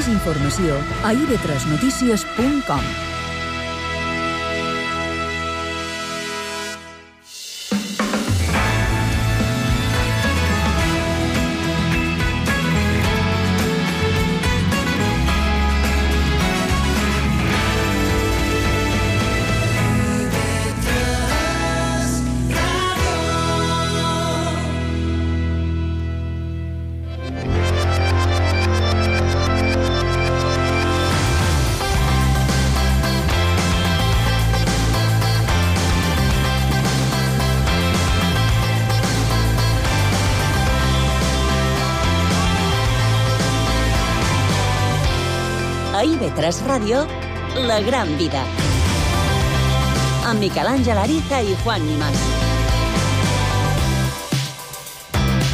informació a ib3notícies.com. A IB3 Ràdio, La Gran Vida. Amb Miquel Àngel Ariza i Juan Imaz.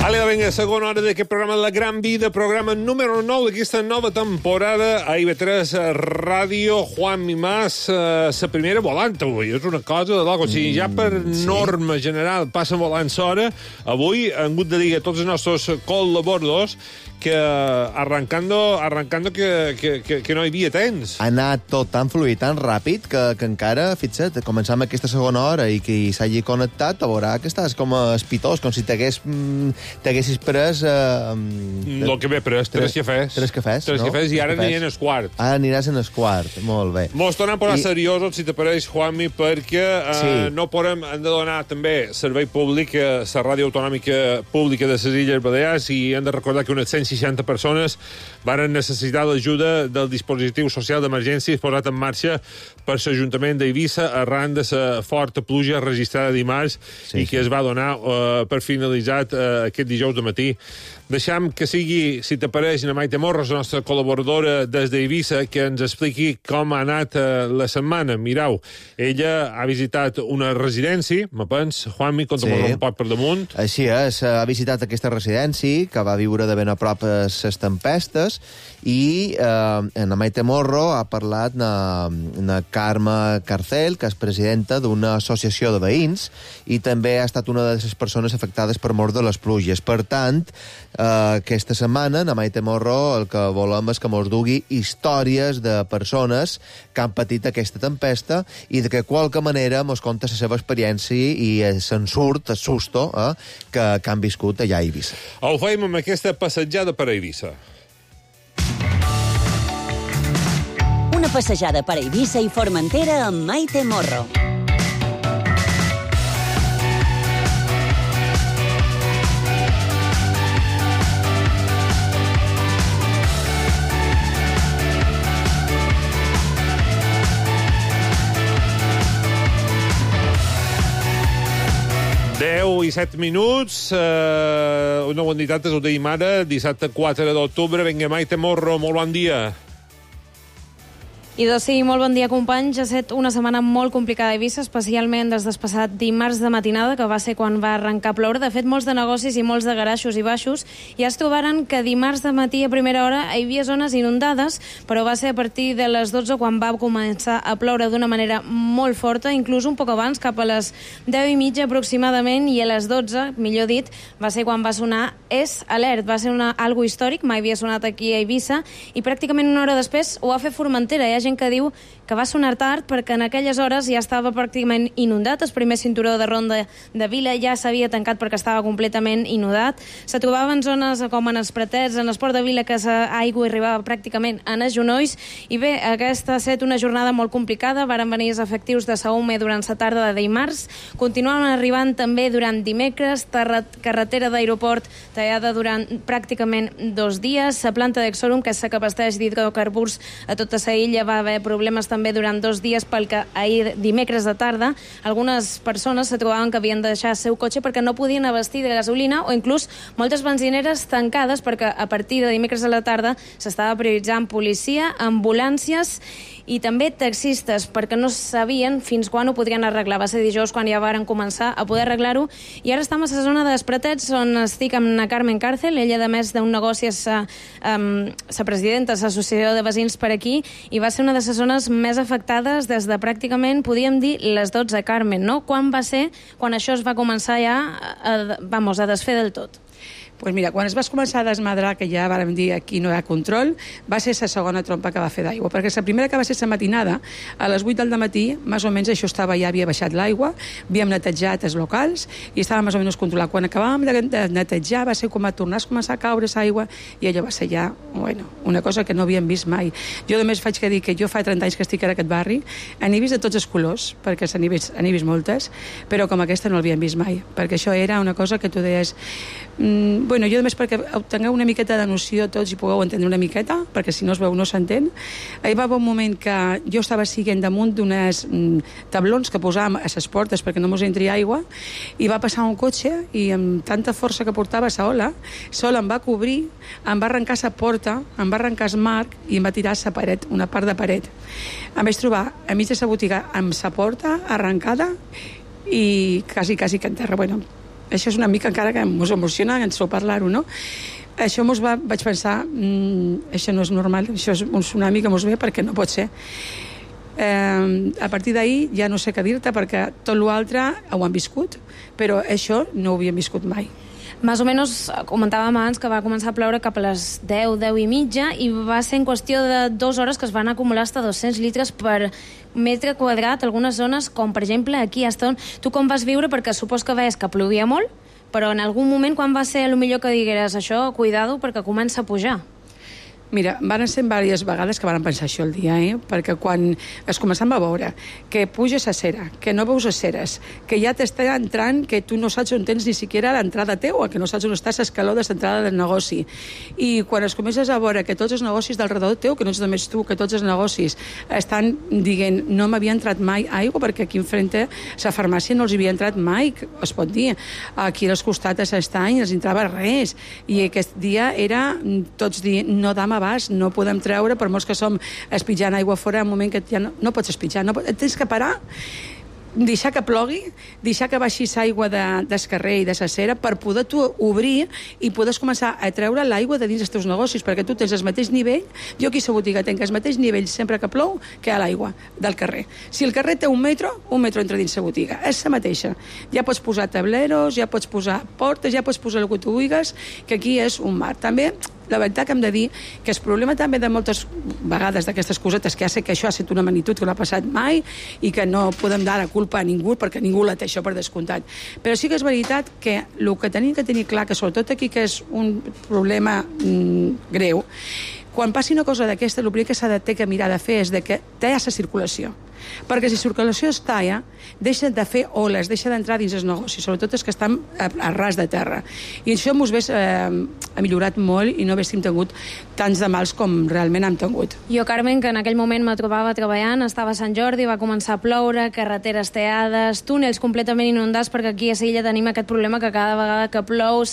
Vale, vinga, segona hora d'aquest programa La Gran Vida, programa número 9 d'aquesta nova temporada a IB3 Ràdio. Juan Imaz, la primera volant avui, és una cosa de loco. O sigui, ja per norma general passen volant l'hora. Avui hem hagut de dir a tots els nostres col·laboradors que arrancando que no hi havia temps. Ha anat tot tan fluid, tan ràpid, que encara, fixa't, començam aquesta segona hora i qui s'hagi connectat te veurà que estàs com espitós, com si t'haguessis pres... El que m'he pres, tres cafès. Tres cafès, no? Tres cafès, i ara aniré en el quart. Ara aniràs en el quart, molt bé. Mos tornem a posar seriosos, si t'apareix, Juanmi, perquè no podem, hem de donar també servei públic a la ràdio autonòmica pública de les Illes Balears, i hem de recordar que unes 160 persones varen necessitar l'ajuda del dispositiu social d'emergència posat en marxa per l'Ajuntament d'Eivissa arran de la forta pluja registrada dimarts i que es va donar per finalitzat aquest dijous de matí. Deixam que sigui, si t'apareix, na Maite Morros, la nostra col·laboradora des d'Eivissa, que ens expliqui com ha anat la setmana. Mireu, ella ha visitat una residència, me pens, Juanmi, conta'm un poc per damunt. Així és, ha visitat aquesta residència, que va viure de ben a prop les tempestes, i na Maite Morro ha parlat na Carme Carcel, que és presidenta d'una associació de veïns, i també ha estat una de les persones afectades per mort de les pluges. Per tant, aquesta setmana, na Maite Morro, el que volem és que mos dugui històries de persones que han patit aquesta tempesta i de que qualque manera mos conta la seva experiència i se'n surt el susto que han viscut allà a Eivissa. Ho feim amb aquesta passejada per Eivissa. Una passejada per Eivissa i Formentera amb Maite Morro. I 7 minuts, una bona nit, ho dèiem ara, dissabte 4 d'octubre. Vinga, Maite Morro, molt bon dia. I doncs sí, molt bon dia, companys. Ha estat una setmana molt complicada a Eivissa, especialment des del passat dimarts de matinada, que va ser quan va arrencar a ploure. De fet, molts de negocis i molts de garaixos i baixos ja es trobaren que dimarts de matí a primera hora hi havia zones inundades, però va ser a partir de les 12 quan va començar a ploure d'una manera molt forta, inclús un poc abans, cap a les 10:30 aproximadament, i a les 12, millor dit, va ser quan va sonar És Alert. Va ser algo històric, mai havia sonat aquí a Eivissa, i pràcticament una hora després ho va fer Formentera. Hi ha gent que diu que va sonar tard perquè en aquelles hores ja estava pràcticament inundat. El primer cinturó de ronda de Vila ja s'havia tancat perquè estava completament inundat. Se trobaven zones com en els Pratets, en el Port de Vila, que l'aigua arribava pràcticament en els genolls. I bé, aquesta ha estat una jornada molt complicada. Varen venir els efectius de Saume durant la tarda de dimarts. Continuaven arribant també durant dimecres. Carretera d'aeroport tallada durant pràcticament 2 dies. La planta d'Exorum, que s'abasteix d'hidrocarburs a tota la illa, va haver problemes també durant 2 dies, pel que ahir, dimecres de tarda, algunes persones se trobaven que havien de deixar el seu cotxe perquè no podien abastir de gasolina, o inclús moltes benzineres tancades perquè a partir de dimecres a la tarda s'estava prioritzant policia, ambulàncies i també taxistes, perquè no sabien fins quan ho podrien arreglar. Va ser dijous quan ja varen començar a poder arreglar-ho, i ara estem a la zona dels Pratets, on estic amb na Carmen Càrcel. Ella, a més d'un negoci, és la presidenta de l'associació de veïns per aquí, i va ser una de les zones més afectades des de pràcticament, podríem dir, les 12, Carmen, no? Quan va ser quan això es va començar ja a desfer del tot? Pues mira, quan es va començar a desmadrar, que ja vàrem dir aquí no hi ha control, va ser la segona trompa que va fer d'aigua, perquè la primera que va ser la matinada, a les 8 del matí, més o menys això estava, ja havia baixat l'aigua, havíem netejat els locals i estava més o menys controlat. Quan acabàvem de netejar va ser com a tornar a començar a caure l'aigua i allò va ser ja, bueno, una cosa que no havíem vist mai. Jo només faig que dir que jo fa 30 anys que estic en aquest barri, n'he vist de tots els colors, perquè n'he vist moltes, però com aquesta no l'havíem vist mai, perquè això era una cosa que tu deies... Bueno, jo només perquè tingueu una miqueta de noció tots i pugueu entendre una miqueta, perquè si no es veu no s'entén. Hi va haver un moment que jo estava siguent damunt d'unes tablons que posàvem a les portes perquè no mos entri aigua, i va passar un cotxe i amb tanta força que portava la ola, em va cobrir, em va arrencar la porta, em va arrencar el marc i em va tirar la paret, una part de paret. Em vaig trobar a mig de la botiga amb la porta arrencada i quasi que en terra. Bueno, això és una mica encara que ens emociona en so parlar-ho, no? Això vaig pensar, això no és normal, això és un tsunami que mos ve perquè no pot ser. A partir d'ahir ja no sé què dir-te perquè tot l'altre ho han viscut, però això no ho havíem viscut mai. Més o menys comentàvem abans que va començar a ploure cap a les 10 i mitja i va ser en qüestió de 2 hores que es van acumular fins a 200 litres per metre quadrat, algunes zones, com per exemple aquí a Eston. Tu com vas viure? Perquè supos que veies que plovia molt, però en algun moment quan va ser el millor que digueres això, cuidado perquè comença a pujar? Mira, van ser diverses vegades que van pensar això el dia, perquè quan es començàvem a veure que puja la cera, que no veus les ceres, que ja t'està entrant, que tu no saps on tens ni siquiera l'entrada teua, que no saps on està l'escaló de l'entrada del negoci. I quan es comences a veure que tots els negocis del redor teu, que no ets només tu, que tots els negocis estan dient no m'havia entrat mai aigua, perquè aquí enfrente la farmàcia no els havia entrat mai, es pot dir. Aquí als costats de l'estany no els entrava res. I aquest dia era tots dient no dam abast, no podem treure, per molts que som espitjant aigua fora, en un moment que ja no pots espitjar, tens que parar, deixar que plogui, deixar que baixi l'aigua del carrer i de la cera per poder tu obrir i poder començar a treure l'aigua de dins dels teus negocis, perquè tu tens el mateix nivell, jo aquí a la botiga tenc el mateix nivell sempre que plou que a l'aigua del carrer. Si el carrer té un metro entra dins la botiga, és la mateixa. Ja pots posar tableros, ja pots posar portes, ja pots posar el que tu vulguis, que aquí és un mar. També la veritat que hem de dir que el problema també de moltes vegades d'aquestes cosetes que ja sé que això ha estat una magnitud que no ha passat mai i que no podem dar la culpa a ningú perquè ningú la té això per descomptat, però sí que és veritat que el que tenim que tenir clar, que sobretot aquí que és un problema greu, quan passi una cosa d'aquesta el primer que s'ha de ter que mirar de fer és de que talla la circulació, perquè si la circulació es talla deixa de fer oles, deixa d'entrar dins els negocis, sobretot els que estan a ras de terra, i això mos ha millorat molt i no haguéssim tingut tants de mals com realment hem tingut. Jo, Carmen, que en aquell moment me trobava treballant, estava a Sant Jordi, va començar a ploure, carreteres teades, túnels completament inundats, perquè aquí a Silla tenim aquest problema que cada vegada que plou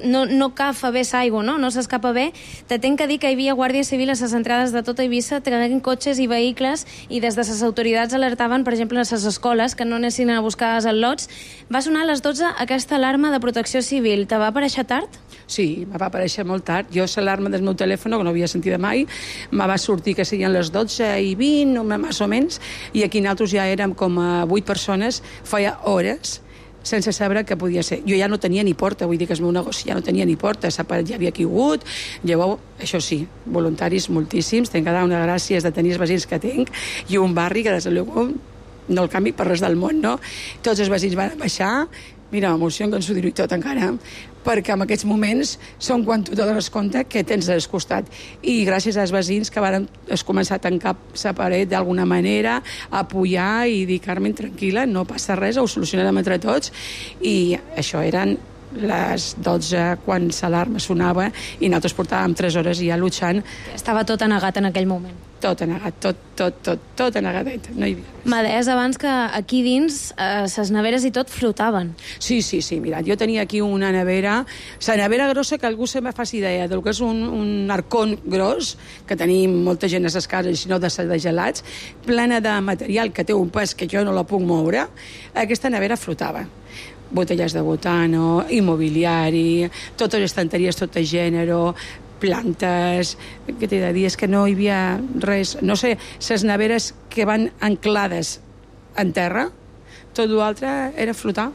no cafa bé l'aigua, no s'escapa bé. Te tenc que dir que hi havia Guàrdia Civil a les entrades de tota Eivissa traient cotxes i vehicles i des de les autoritats alertaven, per exemple, a les escoles que no anessin a buscar els al·lots. Va sonar a les 12 aquesta alarma de protecció civil. Te va aparèixer tard? Sí, me va aparèixer molt tard. Jo l'alarma del meu telèfon, que no havia sentit mai, me va sortir que serien les 12:20, més o menys, i aquí nosaltres ja érem com a 8 persones, feia hores, sense saber què podia ser. Jo ja no tenia ni porta, vull dir que el meu negoci ja no tenia ni porta, ja havia caigut. Llavors, això sí, voluntaris moltíssims, tinc que dar unes gràcies de tenir els veïns que tinc, i un barri que des de luego no el canvi per res del món, no? Tots els veïns van baixar, mira, m'emociono que ens ho diré tot encara, perquè en aquests moments són quan tu te dones compte que tens al costat. I gràcies als veïns que van començar a tancar la paret d'alguna manera, a apoyar i dir, Carmen, tranquil·la, no passa res, ho solucionarem entre tots. I això eren les 12 quan l'alarma sonava i nosaltres portàvem 3 hores ja luchant. Estava tot anegat en aquell moment. Tot anegat, tot anegadet, no hi havia res. M'ha deies abans que aquí dins les neveres i tot flotaven. Sí, mira, jo tenia aquí una nevera, la nevera grossa, que algú se me faci idea del que és un arcón gros, que tenim molta gent a les cases, si no de gelats, plena de material que té un pes que jo no la puc moure, aquesta nevera flotava. Botelles de botano, immobiliari, totes les estanteries, tot de gènere, plantes, què t'he de dir? És que no hi havia res. No sé, les neveres que van anclades en terra, tot l'altre era flotar.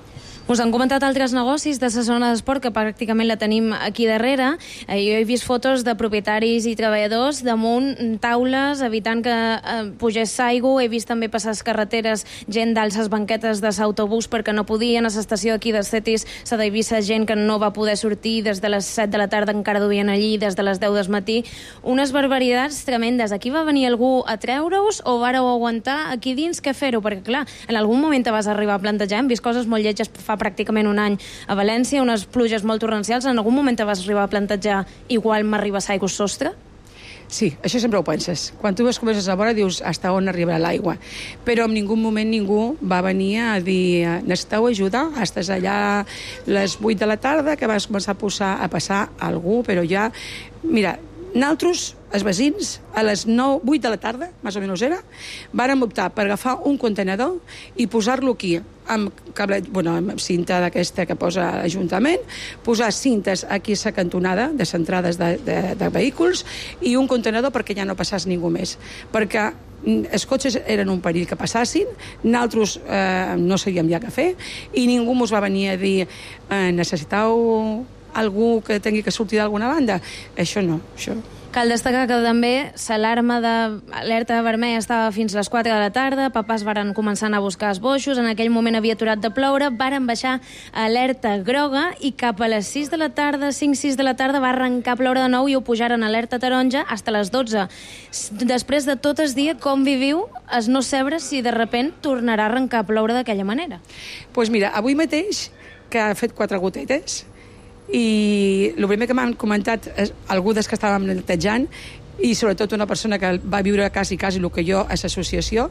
Us han comentat altres negocis de la zona d'esport, que pràcticament la tenim aquí darrere. Jo he vist fotos de propietaris i treballadors damunt taules, evitant que pugés l'aigua. He vist també passar les carreteres gent dalt les banquetes de l'autobús perquè no podien. A l'estació aquí de Cetis s'ha de vist gent que no va poder sortir des de les 7 de la tarda, encara duien allí, des de les 10 del matí. Unes barbaritats tremendes. Aquí va venir algú a treure-us o vareu aguantar aquí dins? Què fer-ho? Perquè, clar, en algun moment te vas arribar a plantejar. Hem vist coses molt lletges fa pràcticament un any a València, unes pluges molt torrencials. En algun moment te vas arribar a plantejar igual m'arriba l'aigua al sostre? Sí, això sempre ho penses. Quan tu comences a veure dius hasta on arribarà l'aigua. Però en ningú moment ningú va venir a dir necessiteu ajuda, estàs allà a les 8 de la tarda que vas començar a passar algú, però ja... Mira, nosaltres, els veïns, a les 8 de la tarda, més o menys era, vàrem optar per agafar un contenedor i posar-lo aquí, amb cinta d'aquesta que posa l'Ajuntament, posar cintes aquí a la cantonada de les entrades de vehicles i un contenedor perquè ja no passés ningú més. Perquè els cotxes eren un perill que passassin, nosaltres no sabíem ja què fer i ningú ens va venir a dir necessiteu algú que tingui que sortir d'alguna banda. Això no, això. Cal destacar que també l'alarma d'alerta vermella estava fins a les 4 de la tarda, papàs varen començar a anar a buscar els boixos, en aquell moment havia aturat de ploure, varen baixar a alerta groga i cap a les 6 de la tarda, 5-6 de la tarda, va arrencar a ploure de nou i ho pujaren a alerta taronja fins a les 12. Després de tot el dia, com viviu es no saber si de repent tornarà a arrencar a ploure d'aquella manera? Doncs mira, avui mateix, que ha fet 4 gotetes, i el primer que m'han comentat algú dels que estàvem netejant i sobretot una persona que va viure quasi el que jo a l'associació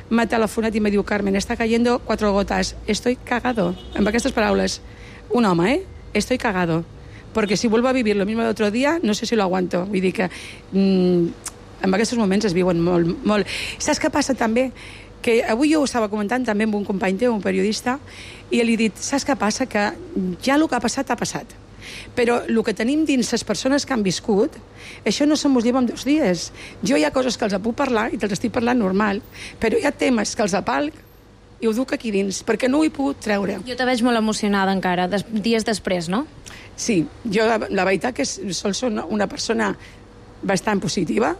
m'ha telefonat i me diu Carmen, està cayendo 4 gotas, estoy cagado, amb aquestes paraules, un home, estoy cagado, porque si vuelvo a vivir lo mismo de otro día no sé si lo aguanto. Vull dir que en aquests moments es viuen molt. Saps què passa també? Que avui jo ho estava comentant també amb un company teu, un periodista, i li he dit, saps què passa? Que ja el que ha passat, ha passat. Però el que tenim dins les persones que han viscut, això no se mos lleva en 2 dies. Jo hi ha coses que els puc parlar i te'ls estic parlant normal, però hi ha temes que els apalc i ho duc aquí dins, perquè no ho he pogut treure. Jo te veig molt emocionada encara, dies després, no? Sí, jo la veritat que soc una persona bastant positiva,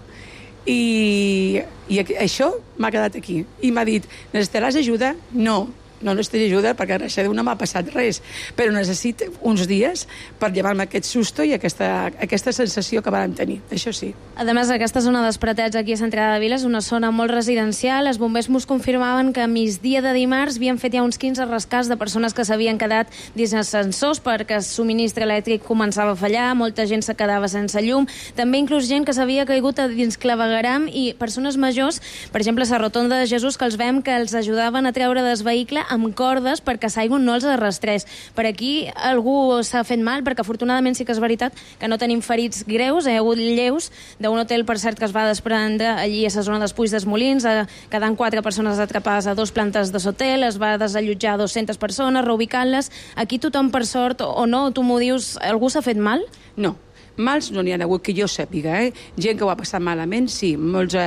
i això m'ha quedat aquí. I m'ha dit, necessitaràs ajuda? No necessito ajuda perquè a no m'ha passat res, però necessito uns dies per llevar-me aquest susto i aquesta sensació que vam tenir, això sí. A més, aquesta zona d'Espretets aquí a Centrada de Vila és una zona molt residencial. Els bombers mos confirmaven que a migdia de dimarts havien fet ja uns 15 rescats de persones que s'havien quedat dins ascensors perquè el subministre elèctric començava a fallar, molta gent se quedava sense llum, també inclús gent que s'havia caigut a dins clavegueram i persones majors, per exemple, a la rotonda de Jesús, que els veiem que els ajudaven a treure del vehicle amb cordes perquè l'aigua no els arrastrés. Per aquí algú s'ha fet mal, perquè afortunadament sí que és veritat que no tenim ferits greus, hi ha hagut lleus d'un hotel, per cert, que es va desprendre allí a la zona dels Puig dels Molins, quedant 4 persones atrapades a 2 plantes de l'hotel, es va desallotjar 200 persones, reubicant-les. Aquí tothom, per sort, o no, tu m'ho dius, algú s'ha fet mal? No. Mals no n'hi ha hagut que jo sàpiga, Gent que ho ha passat malament, sí. Molts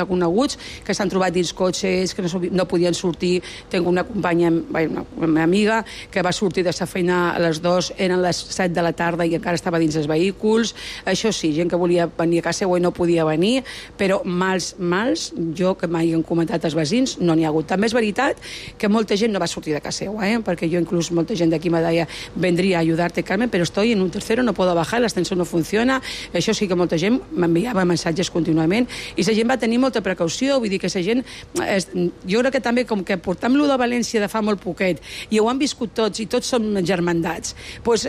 coneguts que s'han trobat dins cotxes, que no podien sortir. Tinc una companya, una amiga, que va sortir de la feina a les 2, eren les 7 de la tarda i encara estava dins els vehicles. Això sí, gent que volia venir a casa seva i no podia venir, però mals, jo que mai han comentat els veïns, no n'hi ha hagut. També és veritat que molta gent no va sortir de casa seva, perquè jo inclús molta gent d'aquí me deia vendria a ajudar-te, Carmen, però estoy en un tercero, no puedo bajar, l'ascensor no funciona. Això sí que molta gent m'enviava missatges contínuament i la gent va tenir molta precaució, vull dir que la gent, jo crec que també com que portam lo de València de fa molt poquet i ho han viscut tots i tots som germandats, doncs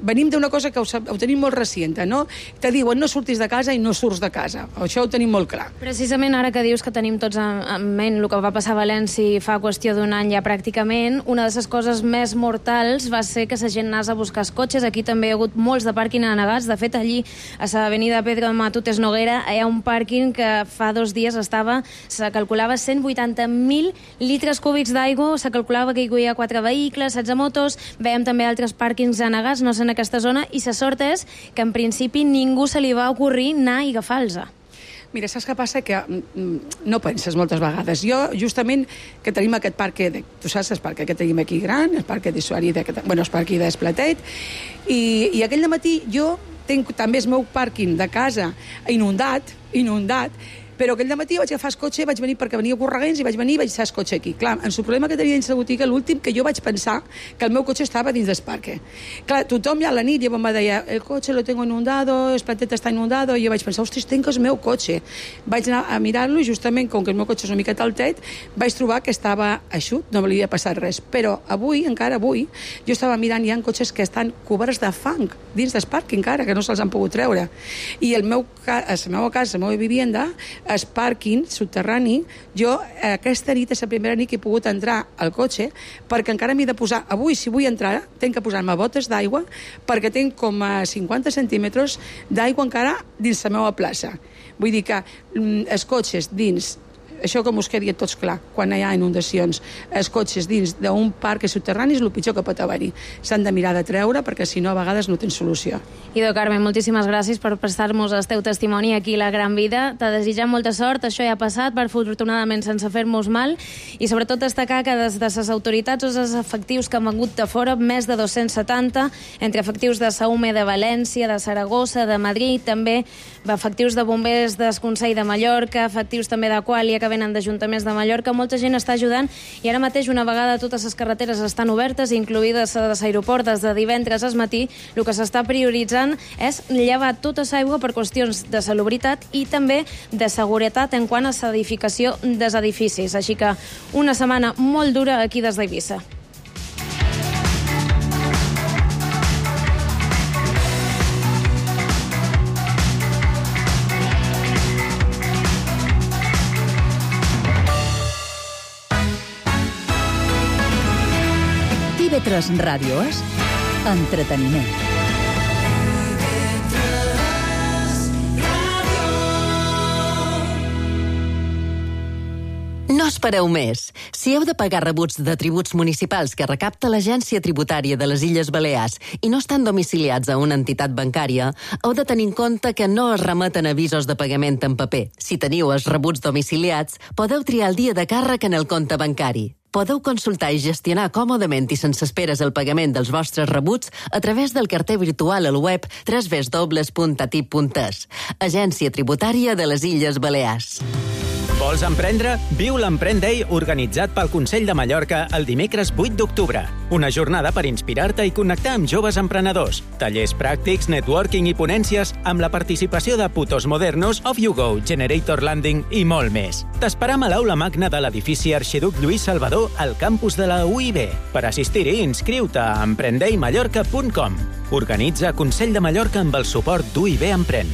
venim d'una cosa que ho tenim molt reciente, no? Te diuen no surtis de casa i no surts de casa. Això ho tenim molt clar. Precisament ara que dius que tenim tots en ment el que va passar a València fa qüestió d'un any ja pràcticament, una de les coses més mortals va ser que la gent anés a buscar els cotxes. Aquí també hi ha hagut molts de pàrquing anegats. De fet, allí, a l'avenida Pedro Matutes Noguera, hi ha un pàrquing que fa 2 dies se calculava 180.000 litres cúbics d'aigua, se calculava que hi havia 4 vehicles, 16 motos, veiem també altres pàrquings anegats, no sé en aquesta zona, i la sort és que en principi ningú se li va ocorrir anar i agafar-los. Mira, saps què passa? Que no penses moltes vegades. Jo, justament, que tenim aquest parc, tu saps el parc que tenim aquí gran, el parc d'usuari, el parc d'Esplatet, i aquell matí jo tinc també el meu pàrquing de casa inundat, però aquell matí vaig agafar el cotxe, vaig venir perquè venia corregents i vaig venir i vaig deixar el cotxe aquí. Clar, el problema que tenia dins la botiga, l'últim que jo vaig pensar que el meu cotxe estava dins del parc. Clar, tothom ja a la nit ja em deia, el cotxe lo tengo inundado, el platet està inundado, i jo vaig pensar, ostres, tenc el meu cotxe. Vaig anar a mirar-lo i justament, com que el meu cotxe és una miqueta altet, vaig trobar que estava eixut, no m'havia passat res. Però avui, encara avui, jo estava mirant, hi ha cotxes que estan coberts de fang dins del parc encara, que no se'ls han pogut treure. I la meva casa, la meva vivienda, el pàrquing subterrani, jo aquesta nit és la primera nit que he pogut entrar al cotxe perquè encara m'he de posar, avui si vull entrar tinc que posar-me botes d'aigua perquè tinc com a 50 centímetres d'aigua encara dins la meva plaça. Vull dir que els cotxes dins, això com us quedi tots clar, quan hi ha inundacions, els cotxes dins d'un parc subterrani és el pitjor que pot haver-hi. S'han de mirar de treure perquè si no a vegades no tens solució. Idò Carmen, moltíssimes gràcies per prestar-nos el teu testimoni aquí a La Gran Vida. T'ha desitjat molta sort, això ja ha passat, per afortunadament sense fer-nos mal, i sobretot destacar que des de les autoritats o els efectius que han vengut de fora, més de 270, entre efectius de Saume, de València, de Saragossa, de Madrid, també efectius de bombers del Consell de Mallorca, efectius també d'Aquàlia que venen d'Ajuntaments de Mallorca. Molta gent està ajudant i ara mateix, una vegada totes les carreteres estan obertes, incluïdes a l'aeroport des de divendres al matí, el que s'està prioritzant és llevar tota l'aigua per qüestions de salubritat i també de seguretat en quant a l'edificació dels edificis. Així que una setmana molt dura aquí des d'Eivissa. TV3 Ràdio és entreteniment. No espereu més. Si heu de pagar rebuts de tributs municipals que recapta l'Agència Tributària de les Illes Balears i no estan domiciliats a una entitat bancària, heu de tenir en compte que no es remeten avisos de pagament en paper. Si teniu els rebuts domiciliats, podeu triar el dia de càrrec en el compte bancari. Podeu consultar i gestionar còmodament i sense esperes el pagament dels vostres rebuts a través del carter virtual al web www.atip.es. Agència Tributària de les Illes Balears. Vols emprendre? Viu l'Emprèn Day organitzat pel Consell de Mallorca el dimecres 8 d'octubre. Una jornada per inspirar-te i connectar amb joves emprenedors. Tallers pràctics, networking i ponències amb la participació de Putos Modernos, Off You Go, Generator Landing i molt més. T'esperam a l'aula magna de l'edifici Arxiduc Lluís Salvador al campus de la UIB. Per assistir-hi, inscriu-te a emprendeimallorca.com. Organitza Consell de Mallorca amb el suport d'UIB Emprèn.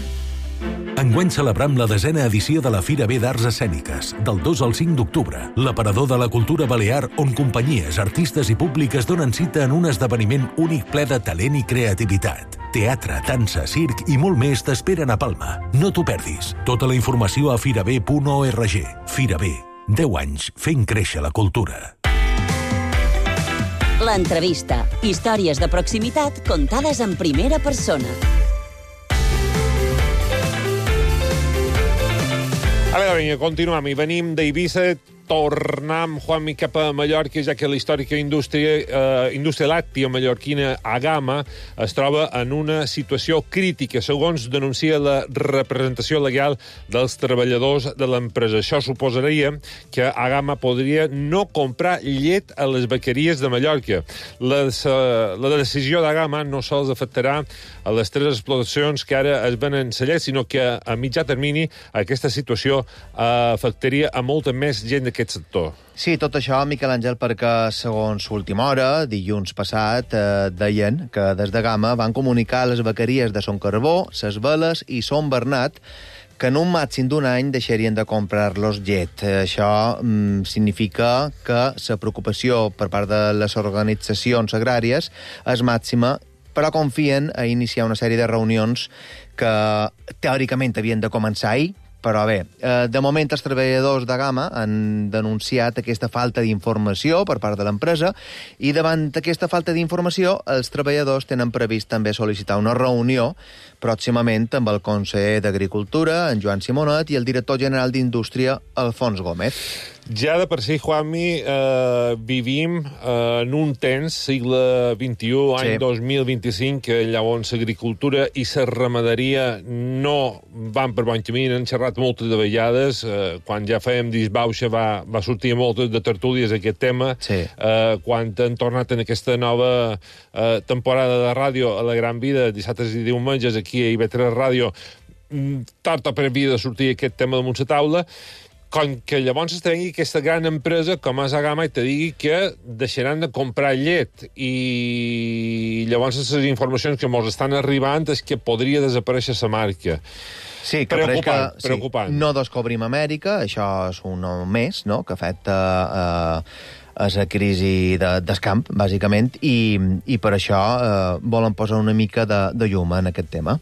Enguany celebrem la 10a edició de la Fira B d'Arts Escèniques, del 2 al 5 d'octubre, l'aparador de la cultura balear on companyies, artistes i públiques donen cita en un esdeveniment únic ple de talent i creativitat. Teatre, dansa, circ i molt més t'esperen a Palma. No t'ho perdis. Tota la informació a firab.org. Fira B. 10 anys fent créixer la cultura. L'entrevista. Històries de proximitat contades en primera persona. A veure, vinga, continuem. I venim d'Eivissa, tornem, Juanmi, cap a Mallorca, ja que la històrica indústria làctia mallorquina Agama es troba en una situació crítica, segons denuncia la representació legal dels treballadors de l'empresa. Això suposaria que Agama podria no comprar llet a les bequeries de Mallorca. La decisió d'Agama no sols afectarà a les 3 explotacions que ara es venen la llet, sinó que a mitjà termini aquesta situació afectaria a molta més gent d'aquest sector. Sí, tot això, Miquel Àngel, perquè, segons Última Hora, dilluns passat, deien que des de Gama van comunicar a les bequeries de Son Carbó, Ses Veles i Son Bernat que en un màxim d'un any deixarien de comprar-los llet. Això significa que la preocupació per part de les organitzacions agràries és màxima, però confien a iniciar una sèrie de reunions que teòricament havien de començar ahir, Però bé, de moment els treballadors de Gamma han denunciat aquesta falta d'informació per part de l'empresa i davant d'aquesta falta d'informació els treballadors tenen previst també sol·licitar una reunió pròximament amb el conseller d'Agricultura, en Joan Simonet, i el director general d'Indústria, Alfons Gómez. Ja de per si, Juanmi, vivim en un temps, segle XXI, any 2025, que llavors l'agricultura i la ramaderia no van per bon camí. Han xerrat moltes de vegades. Quan ja fèiem disbauxa va sortir moltes de tertúlies aquest tema. Quan han tornat en aquesta nova temporada de ràdio a la Gran Vida, dissabtes i diumenges, aquí a IB3 Ràdio, tard o per havia de sortir aquest tema damunt la taula. Com que llavors es tregui aquesta gran empresa com és Agama i te digui que deixaran de comprar llet i llavors les informacions que ens estan arribant és que podria desaparèixer la marca. Sí, que preocupant. No descobrim Amèrica, això és un més, no?, que afecta a la crisi d'escamp, bàsicament, i per això volen posar una mica de llum en aquest tema.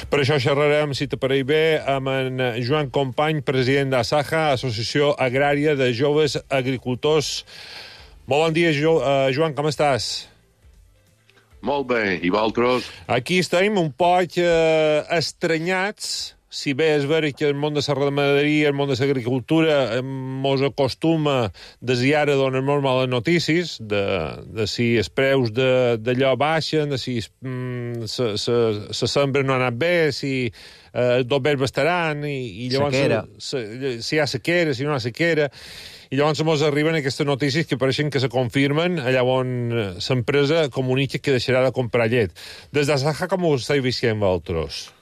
Per això xerrarem, si te pareix bé, amb en Joan Company, president d'Asaja, Associació Agrària de Joves Agricultors. Molt bon dia, Joan, com estàs? Molt bé, i vosaltres? Aquí estem un poc estranyats. Si bé és vera que el món de la ramaderia, el món de l'agricultura mos acostuma des i ara a donar molt males notícies de si els preus d'allò baixen, de si la sembra no ha anat bé, si els dobbers bastaran, i llavors si hi ha sequera, si no hi ha sequera, i llavors ens arriben aquestes notícies que pareixen que se confirmen allà on l'empresa comunica que deixarà de comprar llet. Des d'Asaja, com ho esteu visquent vosaltres?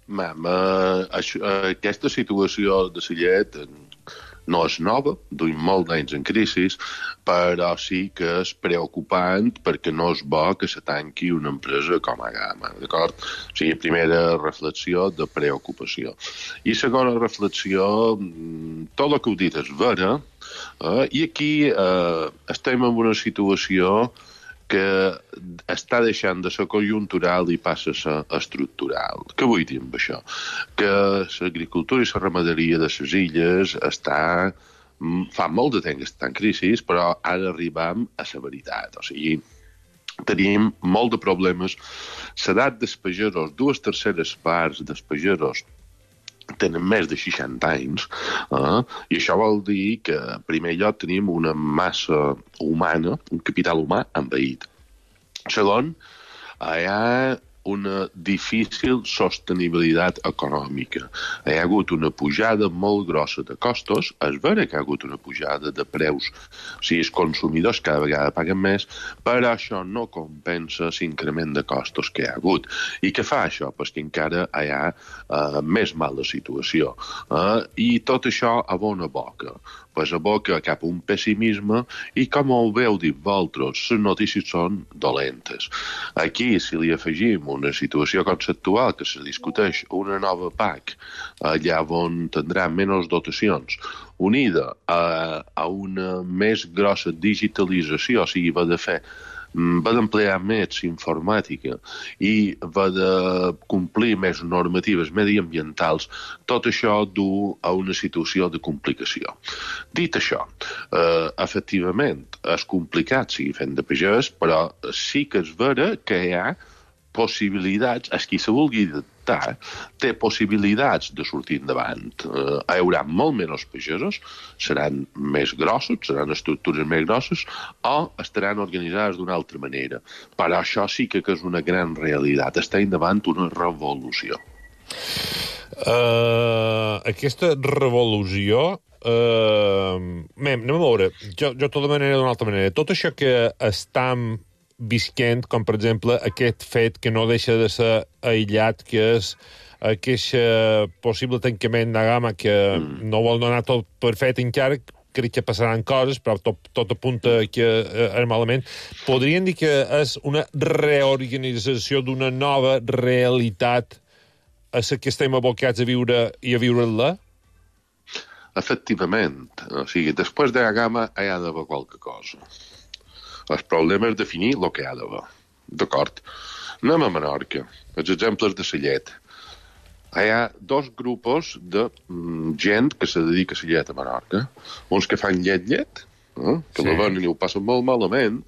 Aquesta situació de la llet no és nova, duim molt d'anys en crisi, però sí que és preocupant perquè no és bo que se tanqui una empresa com Agama, d'acord? O sigui, primera reflexió de preocupació. I segona reflexió, tot el que heu dit és vera, i aquí estem en una situació que està deixant de ser conjuntural i passa a ser estructural. Què vull dir amb això? Que l'agricultura i la ramaderia de les illes fa molt de temps que està en crisi, però ara arribam a la veritat. O sigui, tenim molt de problemes. L'edat dels pagesos, 2/3 parts dels pagesos tenen més de 60 anys, i això vol dir que, en primer lloc, tenim una massa humana, un capital humà envaït. Segon, hi ha una difícil sostenibilitat econòmica. Hi ha hagut una pujada molt grossa de costos, és vera que hi ha hagut una pujada de preus, o sigui, els consumidors cada vegada paguen més, però això no compensa l'increment de costos que hi ha hagut. I què fa això? Pues que encara hi ha més mala situació. I tot això abona boca. Pues aboca cap a un pessimisme i, com ho heu dit vosaltres, les notícies són dolentes. Aquí, si li afegim una situació conceptual que se discuteix una nova PAC, allà on tindrà menys dotacions, unida a una més grossa digitalització, o sigui, va d'emplear més informàtica i va de complir més normatives mediambientals, tot això du a una situació de complicació. Dit això, efectivament, és complicat seguir fent de pagès, però sí que és vera que hi ha possibilitats, qui se vulgui adaptar, té possibilitats de sortir endavant. Hi haurà molt menys pagesos, seran més grossos, seran estructures més grosses, o estaran organitzades d'una altra manera. Però això sí que és una gran realitat. Està endavant una revolució. Aquesta revolució... anem a veure, jo tota manera d'una altra manera. Tot això que estem visquent, com per exemple aquest fet que no deixa de ser aïllat, que és aquest possible tancament d'Agama, que no vol donar tot per fet encara, crec que passaran coses, però tot apunta que és malament. Podrien dir que és una reorganització d'una nova realitat a la que estem abocats a viure i a viure-la? Efectivament. O sigui, després d'Agama hi ha d'haver qualque cosa. El problema és definir el que hi ha d'haver. D'acord? Anem a Menorca. Els exemples de la llet. Hi ha dos grupos de gent que se dedica a la llet a Menorca. Uns que fan llet, que la venen i ho passen molt malament,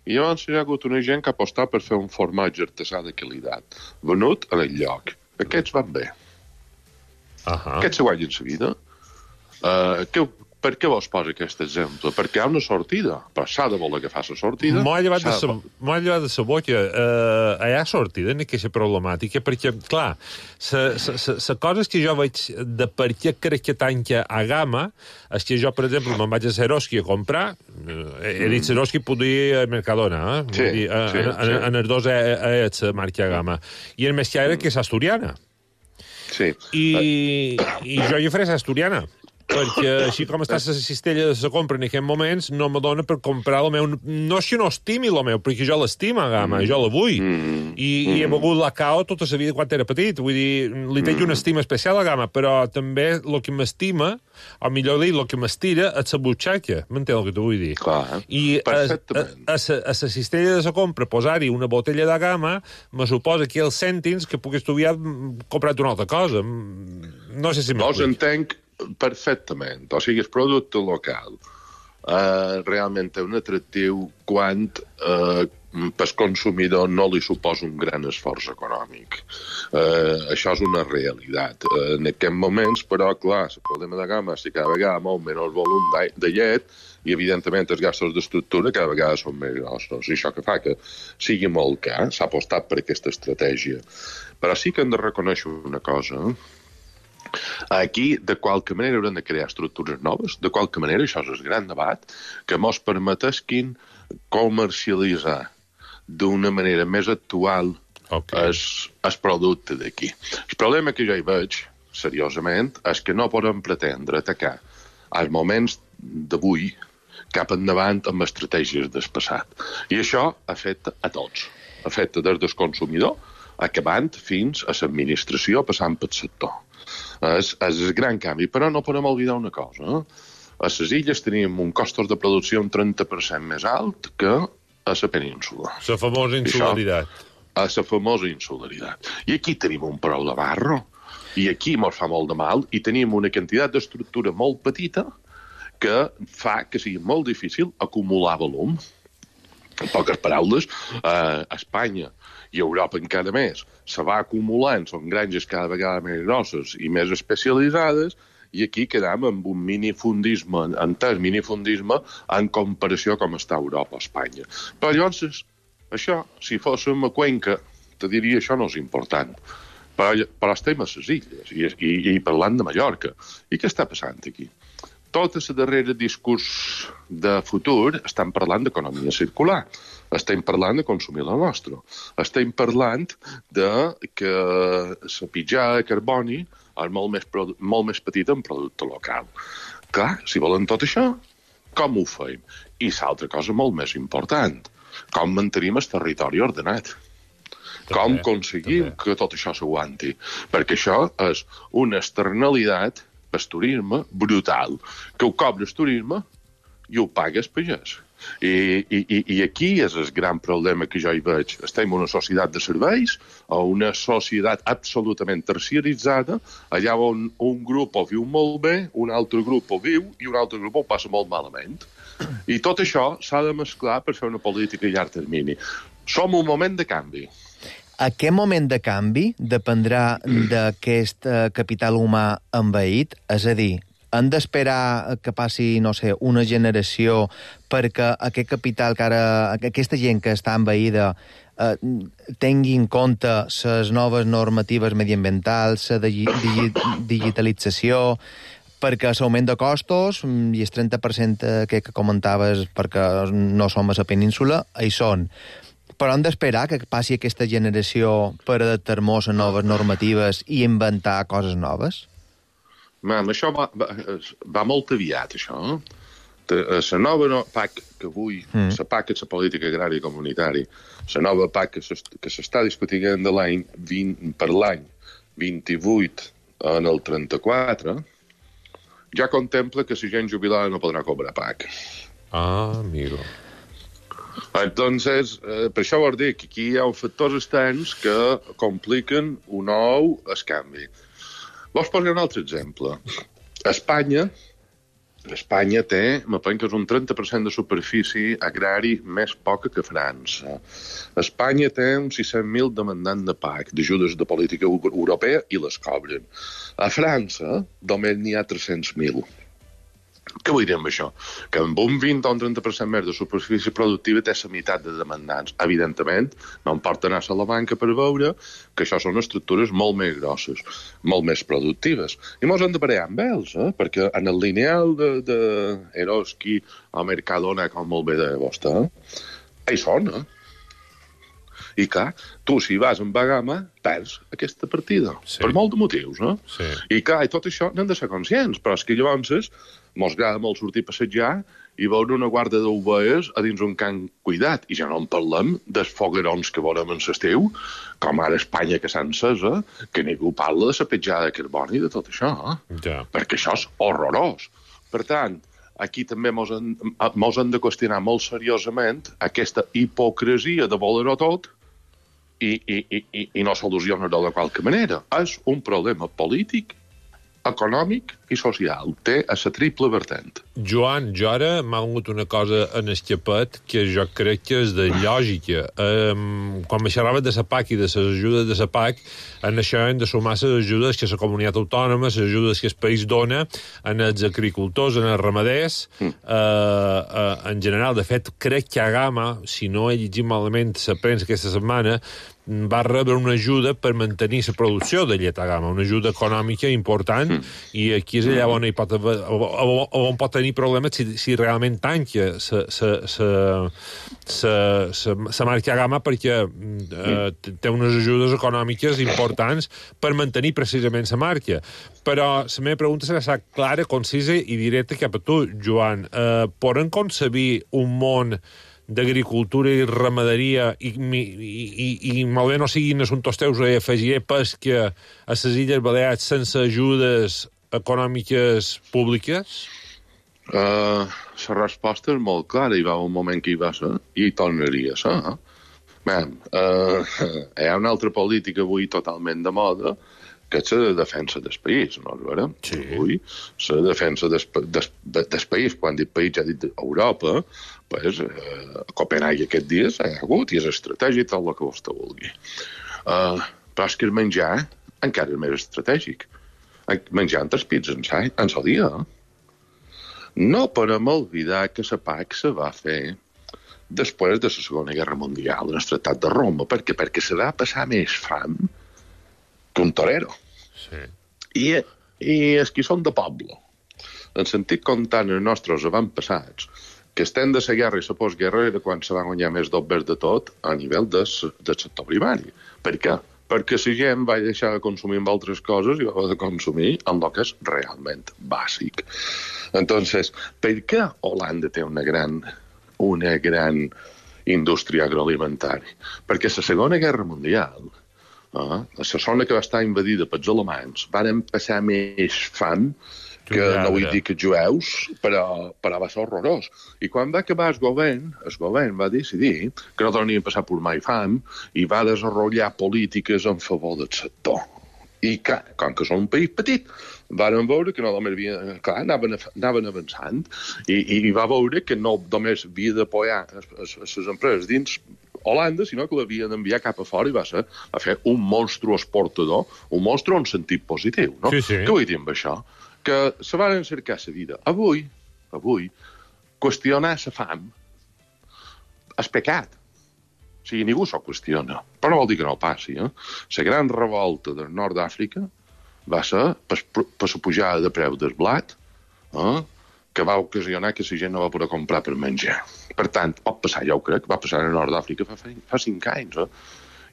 i llavors hi ha hagut una gent que ha apostat per fer un formatge artesà de qualitat, venut en el lloc. Aquests van bé. Aquests se guanyen la vida. Per què vos posa aquest exemple? Perquè hi ha una sortida, però s'ha de voler agafar la sortida. M'ha llevat de sa boca. Hi ha sortida en aquesta problemàtica, perquè, clar, la cosa que jo veig de per què crec que tanca a Gama és que jo, per exemple, me'n vaig a Seroski a comprar, he dit Seroski, podia ir a Mercadona, en els dos és la marca Gama, i el més que era que és asturiana. Sí. I jo hi faré asturiana, perquè així com està la cistella de la compra en aquests moments, no me dona per comprar el meu... No és que no estimi el meu, perquè jo l'estima, Gama, jo la vull. I he begut la cao tota la vida quan era petit. Vull dir, li tinc una estima especial a Gama, però també el que m'estima, o millor dir, el que m'estira, és la butxaca. M'entén el que t'ho vull dir? Clar, I a la cistella de la compra, posar-hi una botella de Gama, me suposa que els cèntims que puc estudiar comprar una altra cosa. No sé si m'explico. Entenc perfectament. O sigui, el producte local realment té un atractiu quan pel consumidor no li suposa un gran esforç econòmic. Això és una realitat. En aquests moments, però, clar, el problema de Gama és que cada vegada molt menys volum de llet i, evidentment, els gastos d'estructura cada vegada són més grossos. I això que fa que sigui molt car, s'ha apostat per aquesta estratègia. Però sí que hem de reconèixer una cosa, Aquí, de qualque manera, haurem de crear estructures noves. De qualque manera, això és el gran debat, que mos permetesquin comercialitzar d'una manera més actual el producte d'aquí. El problema que jo hi veig, seriosament, és que no podem pretendre atacar als moments d'avui cap endavant amb estratègies del passat. I això afecta a tots. Afecta des del consumidor, acabant fins a l'administració, passant pel sector. És el gran canvi, però no podem oblidar una cosa. A les illes tenim un costos de producció un 30% més alt que a la península. La famosa insularitat. A la famosa insularitat. I aquí tenim un problemarro. I aquí ens fa molt de mal i tenim una quantitat d'estructura molt petita que fa que sigui molt difícil acumular volum. En poques paraules, a Espanya i a Europa encara més, se va acumulant, són granges cada vegada més grosses i més especialitzades, i aquí quedam amb un minifundisme, entès minifundisme, en comparació com està Europa o Espanya. Però llavors, això, si fóssim a Cuenca, te diria això no és important. Però estem a les illes i parlant de Mallorca. I què està passant aquí? Tot el darrere discurs de futur estan parlant d'economia circular, estem parlant de consumir la nostra, estem parlant de que la pitjada de carboni és molt més petita en producte local. Clar, si volen tot això, com ho fem? I l'altra cosa molt més important, com mantenim el territori ordenat? Com aconseguim que tot això s'aguanti? Perquè això és una externalitat el turisme brutal, que ho cobra el turisme i ho paga el pagès. I aquí és el gran problema que jo hi veig. Estem en una societat de serveis o una societat absolutament terciaritzada, allà on un grup ho viu molt bé, un altre grup ho viu i un altre grup ho passa molt malament. I tot això s'ha de mesclar per fer una política a llarg termini. Som un moment de canvi. Aquest moment de canvi dependrà d'aquest capital humà envaït? És a dir, hem d'esperar que passi, no sé, una generació perquè aquest capital que ara... aquesta gent que està envaïda tingui en compte les noves normatives mediambientals, la digitalització, perquè l'augment de costos i el 30% que comentaves perquè no som a la península, hi són. Però hem d'esperar que passi aquesta generació per adaptar-nos a noves normatives i inventar coses noves? Això va molt aviat, això. La nova PAC que vull, la PAC és la política agrària comunitària, la nova PAC que s'està discutint per l'any 28 en el 34, ja contempla que la gent jubilada no podrà cobrar PAC. Ah, amigo. Entonces, per això vol dir que aquí hi ha factors externs que compliquen un nou escanvi. Vos posaré un altre exemple. Espanya té, me penso que és un 30% de superfície agrari més poca que França. Espanya té uns 600.000 demandants de PAC, d'ajudes de política europea, i les cobren. A França només n'hi ha 300.000. Què vull dir amb això? Que amb un 20 o un 30% més de superfície productiva té la meitat de demandants. Evidentment, no em pot anar a la banca per veure que això són estructures molt més grosses, molt més productives. I mos hem de parar amb ells, perquè en el lineal de Eroski o Mercadona, com molt bé de vostè, hi són, I clar, tu, si vas amb Bagama, perds aquesta partida, per molt de motius, Sí. I clar, i tot això n'hem de ser conscients, però és que llavors mos agrada molt sortir a passejar i veure una guarda d'ovelles a dins un camp cuidat. I ja no en parlem dels foguerons que veurem en l'estiu, com ara Espanya que s'ha encesa, que ningú parla de la petjada de carboni i de tot això, perquè això és horrorós. Per tant, aquí també mos hem de qüestionar molt seriosament aquesta hipocresia de voler-ho tot i no solucionar-ho de qualque manera. És un problema polític, econòmic i social. Té a la triple vertent. Joan, jo ara m'ha vengut una cosa en el xapet que jo crec que és de lògica. Quan me xerraves de la PAC i de les ajudes de la PAC, en això hem de sumar les ajudes que la comunitat autònoma, les ajudes que el país dona en els agricultors, en els ramaders, en general. De fet, crec que Agama, si no he llegit malament la premsa aquesta setmana, va rebre una ajuda per mantenir la producció de llet Agama, una ajuda econòmica important, i aquí és allà on pot tenir problemes si realment tanca la marca Agama, perquè té unes ajudes econòmiques importants per mantenir precisament la marca. Però la meva pregunta serà clara, concisa i directa cap a tu, Joan. Podem concebir un món d'agricultura i ramaderia i malbé no siguin assumptes teus, afegiré pesca a les Illes Balears sense ajudes econòmiques públiques? La resposta és molt clara. Hi va un moment que hi va ser i hi tornaria a ser. Hi ha una altra política avui totalment de moda, que és la defensa del país, no és vera? Sí. Avui, la defensa del país, quan dic país ja dit Europa, pues, a Copenhague aquests dies hi ha hagut, i és estratègic tot el que vostè vulgui. Però és que el menjar encara és més estratègic. Menjar entre els pits en el dia. No podem oblidar que la PAC se va fer després de la Segona Guerra Mundial, en el Tractat de Roma. Per què? Perquè se va passar més fam que un torero. Sí. I els que són de poble, en sentit comptant els nostres avantpassats, que estem de la guerra i la postguerra era quan se va guanyar més d'obres de tot a nivell del sector primari. Per què? Perquè la gent va deixar de consumir amb altres coses i va de consumir amb el que és realment bàsic. Entonces, per què Holanda té una gran indústria agroalimentària? Perquè la Segona Guerra Mundial, la zona que va estar invadida pels alemanys, van passar més fam que no vull dir que jueus, però va ser horrorós. I quan va acabar el govern va decidir que no tornien a passar per mai fam i va desenvolupar polítiques en favor del sector. I com que són un país petit, van veure que no només anaven avançant i va veure que no només havia d'apoyar les empreses dins Holanda, sinó que l'havien d'enviar cap a fora i va fer un monstru exportador, un monstru en sentit positiu. No? Sí. Què vull dir amb això? Que se van cercar la vida. Avui, qüestionar la fam és pecat. O sigui, ningú s'ho qüestiona. Però no vol dir que no passi. La gran revolta del nord d'Àfrica va ser per la pujada de preu del blat, que va ocasionar que la gent no va poder comprar per menjar. Per tant, pot passar, jo ho crec, va passar al nord d'Àfrica fa 5 anys,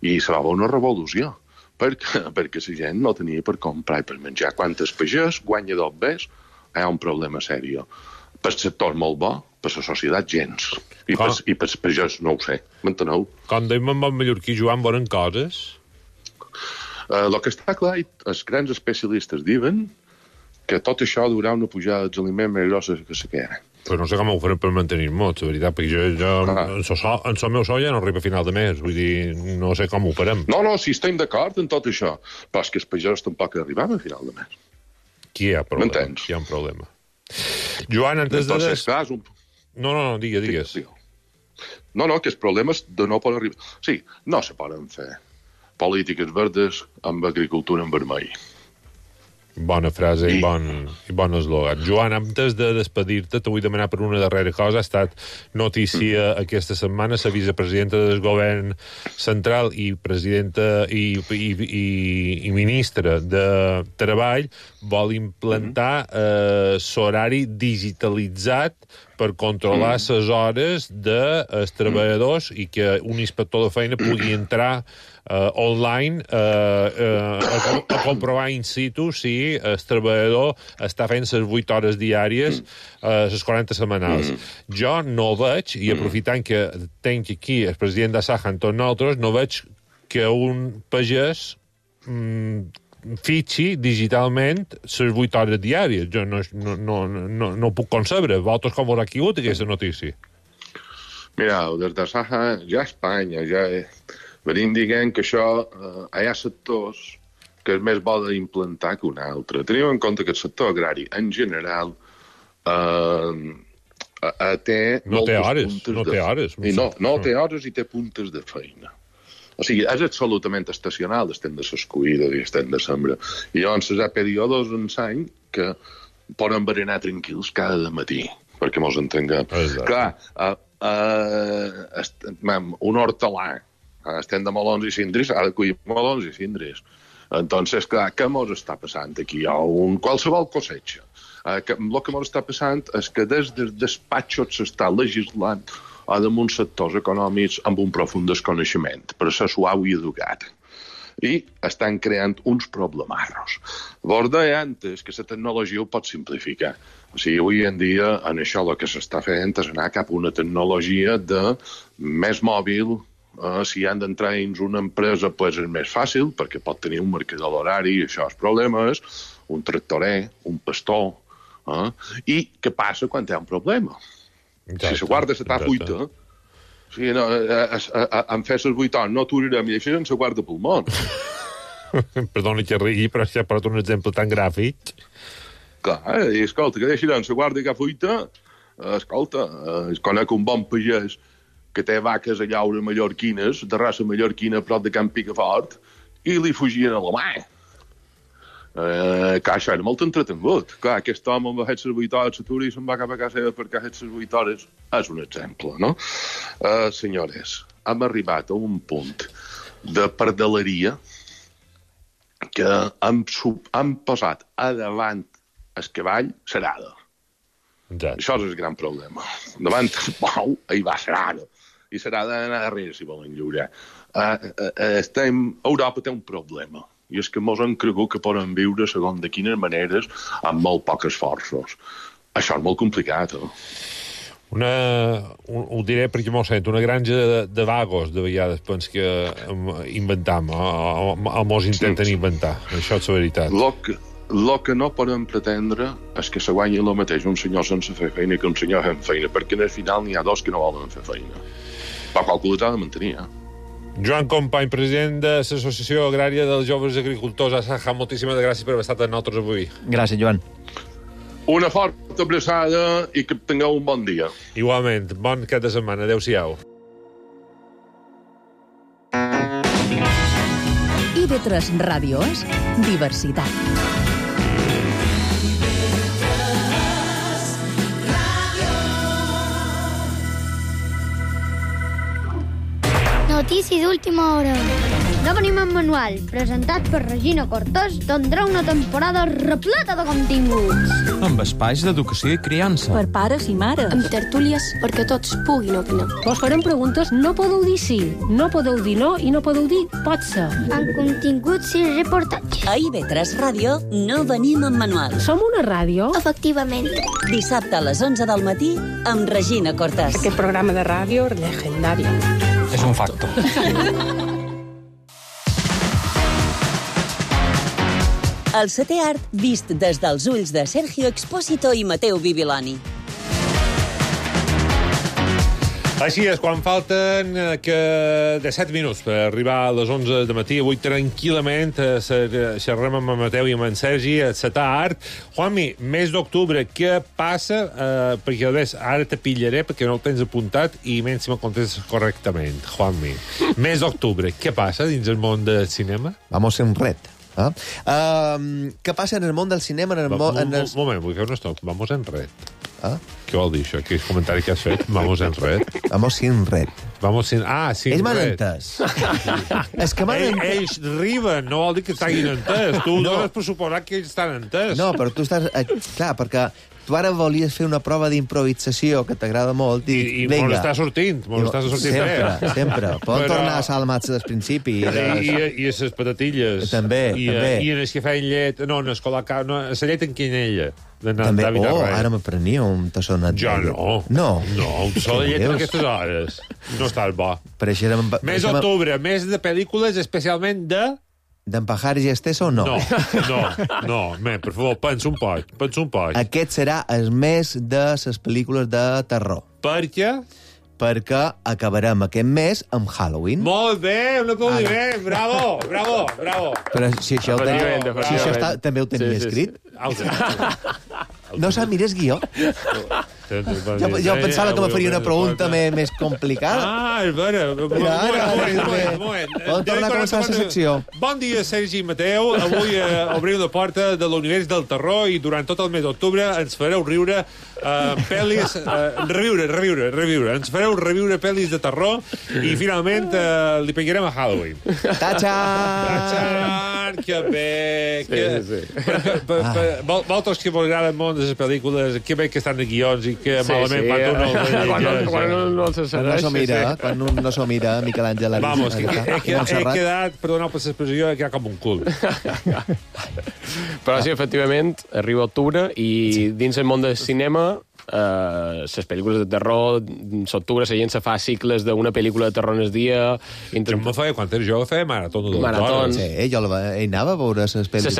i se va veure una revolució. Perquè la gent no tenia per comprar i per menjar. Quan el pagès guanya d'obres, hi ha un problema sèrio. Per sector molt bo, per la societat gens. I per pagès no ho sé. M'enteneu? Com deim en bon mallorquí, Joan, bonen coses? El que està clar, els grans especialistes diuen que tot això durà una pujada dels aliments més grossa que la que hi ha. Però no sé com ho farem per mantenir-nos, la veritat, perquè jo en el meu sou ja no arriba a final de mes, vull dir, no sé com ho farem. No, sí, estem d'acord en tot això, però és que els pagesos tampoc arribem a final de mes. Qui hi ha problema? M'entens? Hi ha un problema. Joan, antes de... No, digues. No, que els problemes de no poden arribar... Sí, no se poden fer polítiques verdes amb agricultura en vermell. Bona frase i bon eslògan. Joan, antes de despedir-te, te vull demanar per una darrera cosa. Ha estat notícia aquesta setmana la vicepresidenta del govern central i presidenta i ministra de Treball vol implantar l'horari digitalitzat per controlar les hores dels treballadors i que un inspector de feina pugui entrar online a comprovar in situ si el treballador està fent les 8 hores diàries, les 40 setmanals. Jo no veig, i aprofitant que tenc aquí el president de Saja amb tots nosaltres, no veig que un pagès fitxi digitalment les 8 hores diàries. Jo no puc concebre. Vosaltres com haurà caigut aquesta notícia? Mira, des de Saja, ja a Espanya, venim dient que això hi ha sectors que és més bo d'implantar que un altre. Tenim en compte que el sector agrari, en general, té moltes puntes de feina. No té hores i té puntes de feina. O sigui, és absolutament estacional, estem de s'escuïda i estem de sembra. I llavors hi ha períodes en l'any que poden berenar tranquils cada matí, perquè mos entenguem. Clar, un hortelà, estem de melons i cindris, ha de collir melons i cindris. Entonces, clar, què mos està passant aquí? Hi ha qualsevol cosecha. El que mos està passant és que des dels despatxos s'està legislant damunt sectors econòmics amb un profund desconeixement, per ser suau i educat. I estan creant uns problemarros. Vos deia antes que la tecnologia ho pot simplificar. O sigui, avui en dia, en això el que s'està fent és anar cap a una tecnologia de més mòbil. Si han d'entrar dins una empresa, pues és més fàcil, perquè pot tenir un marcador d'horari, i això és problemes, un tractorer, un pastor. I què passa quan hi ha un problema? Si la guarda s'està buita, en fer les 8 hores no aturarem i això ens la guarda pel món. Perdoni que rigui, però si ha portat un exemple tan gràfic. Clar, i escolta, que deixaran la guarda que fuita, escolta, conec un bon pagès que té vaques a llaure mallorquines, de raça mallorquina a prop de Can Picafort, i li fugien a la mà. Que això era molt entretengut. Clar, aquest home va fer les 8 hores, s'atura i se'n va cap a casa seva perquè ha fet les 8 hores. És un exemple, no? Senyores, hem arribat a un punt de pardaleria que hem posat a davant el cavall serada. Això és el gran problema. Davant el bou, hi va serada. I serada d'anar darrere, si volen lliurar. Europa té un problema. I és que mos han cregut que poden viure segons de quines maneres amb molt pocs esforços. Això és molt complicat, ho diré perquè m'ho sento, una granja de vagos, de vegades, pens que inventam, o mos intenten inventar. Això és la veritat. El que no podem pretendre és que se guanyi el mateix un senyor sense fer feina que un senyor fent feina, perquè al final n'hi ha dos que no volen fer feina. Però qualcú l'ha de mantenir, Joan Company, president de l'Associació Agrària dels Joves Agricultors a Saja, moltíssimes gràcies per haver estat amb nosaltres avui. Gràcies, Joan. Una forta abraçada i que tingueu un bon dia. Igualment, bon cap de setmana. Adéu-siau. IB3 Ràdio és diversitat. Notícia d'última hora. Venim amb manual, presentat per Regina Cortés, tindrà una temporada repleta de continguts. Amb espais d'educació i criança. Per pares i mares. Amb tertúlies perquè tots puguin opinar. Vos farem preguntes, no podeu dir sí, no podeu dir no i no podeu dir pot ser. Amb continguts i reportatges. A IB3 Ràdio no venim amb manual. Som una ràdio? Efectivament. Dissabte a les 11 del matí amb Regina Cortés. Aquest programa de ràdio legendari. És un facto. El setè art vist des dels ulls de Sergio Expósito i Mateu Bibiloni. Així és, quan falten de 7 minuts per arribar a les 11 de matí, avui tranquil·lament xerrem amb en Mateu i amb en Sergi a Setà Art. Juanmi, mes d'octubre, què passa? Perquè, a veure, ara te pillaré perquè no el tens apuntat i menys si me contestes correctament. Juanmi, mes d'octubre, què passa dins el món del cinema? Vamos a un ret. Què passa en el món del cinema? Un moment, vull fer un stop. Vamos en ret. Què vol dir això? Quin comentari que has fet? Vamos en ret. Vamos sin ret. Sin ells m'han ret. entès. És que m'han entès. Ells riben, no vol dir que t'hagin entès. Tu dones per suposar que ells estan entès. No, però tu estàs... Clar, perquè tu ara volies fer una prova d'improvisació que t'agrada molt i me n'està sortint, sempre, sempre. Poden tornar a salmats del principi. I les patatilles. També. I en els que feien llet... No, en la llet en quinella. També, ara m'aprenia un tassonat. Jo no. No, un tassó de llet a aquestes hores. No estàs bo. Mes d'octubre, mes de pel·lícules especialment de... D'en Pajares i Esteso, no. No, per favor, pensa un poc. Aquest serà el mes de les pel·lícules de terror. Per què? Perquè acabarem aquest mes amb Halloween. Molt bé, un aplaudiment, bravo. Però si això també ho tenia escrit. No sap, mires guió. Jo pensava que me faria una pregunta més complicada. És vera. Un moment. Poden tornar a començar la secció. Bon dia, Sergi i Mateu. Avui obrim la porta de l'univers del terror i durant tot el mes d'octubre ens fareu riure pel·lis... Reviure. Ens fareu reviure pel·lis de terror i finalment li pegarem a Halloween. Tachan! Que bé! Vosaltres que vos agrada el món de les pel·lícules, que bé que estan de guions i que malament quan no se segueix. Quan un no s'ho mira, Miquel Àngel Arís. Vamos, he quedat, perdoneu per l'expressió, he quedat com un cul. Però sí, efectivament, arriba octubre i dins el món del cinema les pel·lícules de terror, l'octubre la gent se fa cicles d'una pel·lícula de terror en el dia. Jo me feia, quan era jove, feia maratons de 2 hores. Sí, jo anava a veure les pel·lícules. Se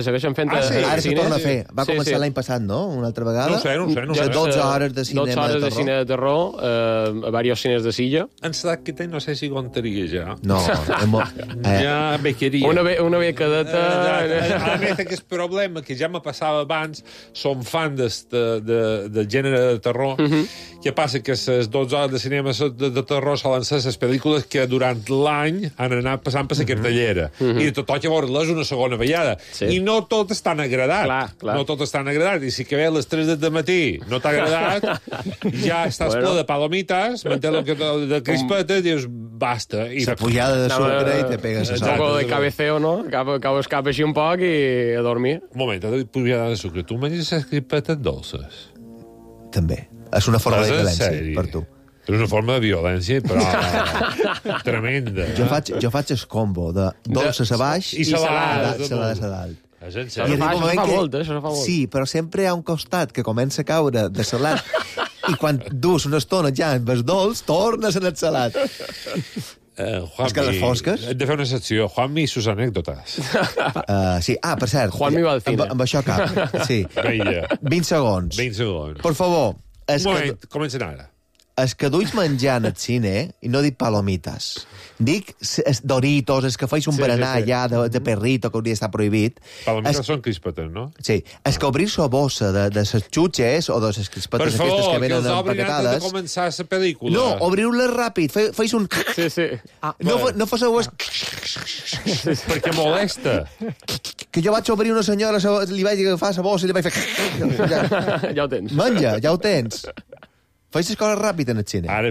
segueixen fent Ara se torna a fer. Va començar l'any passat, no? Una altra vegada? No sé. 12 hores de cinema de terror. 12 hores de cine de terror a diversos cines de Silla. En l'edat que tenc no sé si aguantaria ja. No, ja bequeria. Una becadeta... A més, aquest problema que ja me passava abans, som fan del gènere de terror. Què passa? Que les 12 hores de cinema de terror solen ser les pel·lícules que durant l'any han anat passant per la cartellera. I tot que veure-les una segona vegada. I no tot estan agradat. No tot estan agradat. I si que ve a les 3 del matí no t'ha agradat, ja estàs ple de palomites, mantén de crispetes, dius, basta. La pujada de sucre i te pegues a un poco de cabeceo, no? Cap així un poc i a dormir. Un moment, pujada de sucre. Tu menges les crispetes dolces? També. És una forma de violència per tu. És una forma de violència, però tremenda. Jo faig el combo de dolces a baix i salades a dalt. Això fa molt. Sí, però sempre hi ha un costat que comença a caure de salat i quan dus una estona ja amb els dolç, tornes en el salat. És que les fosques... Hem de fer una secció. Juanmi i sus anècdotes. Sí. Per cert. Juanmi va al cine. Amb això cap. Sí. 20 segons. Per favor. Un moment, comencen ara. Els que duis menjant al cine, i no dic palomites, dic Doritos, els que feis un berenar ja de perrito, que hauria d'estar prohibit. Palomites són crispetes, no? Sí. Els que obrir la bossa de les xutxes o de les crispetes aquestes que venen empaquetades... Per favor, que els obrin antes de començar la pel·lícula. No, obriu-les ràpid, feis un... Sí. No foseu... Perquè molesta. Que jo vaig obrir una senyora, li vaig agafar la bossa i li vaig fer... Ja ho tens. Menja, ja ho tens. Feis les coses ràpid en el cine. Ara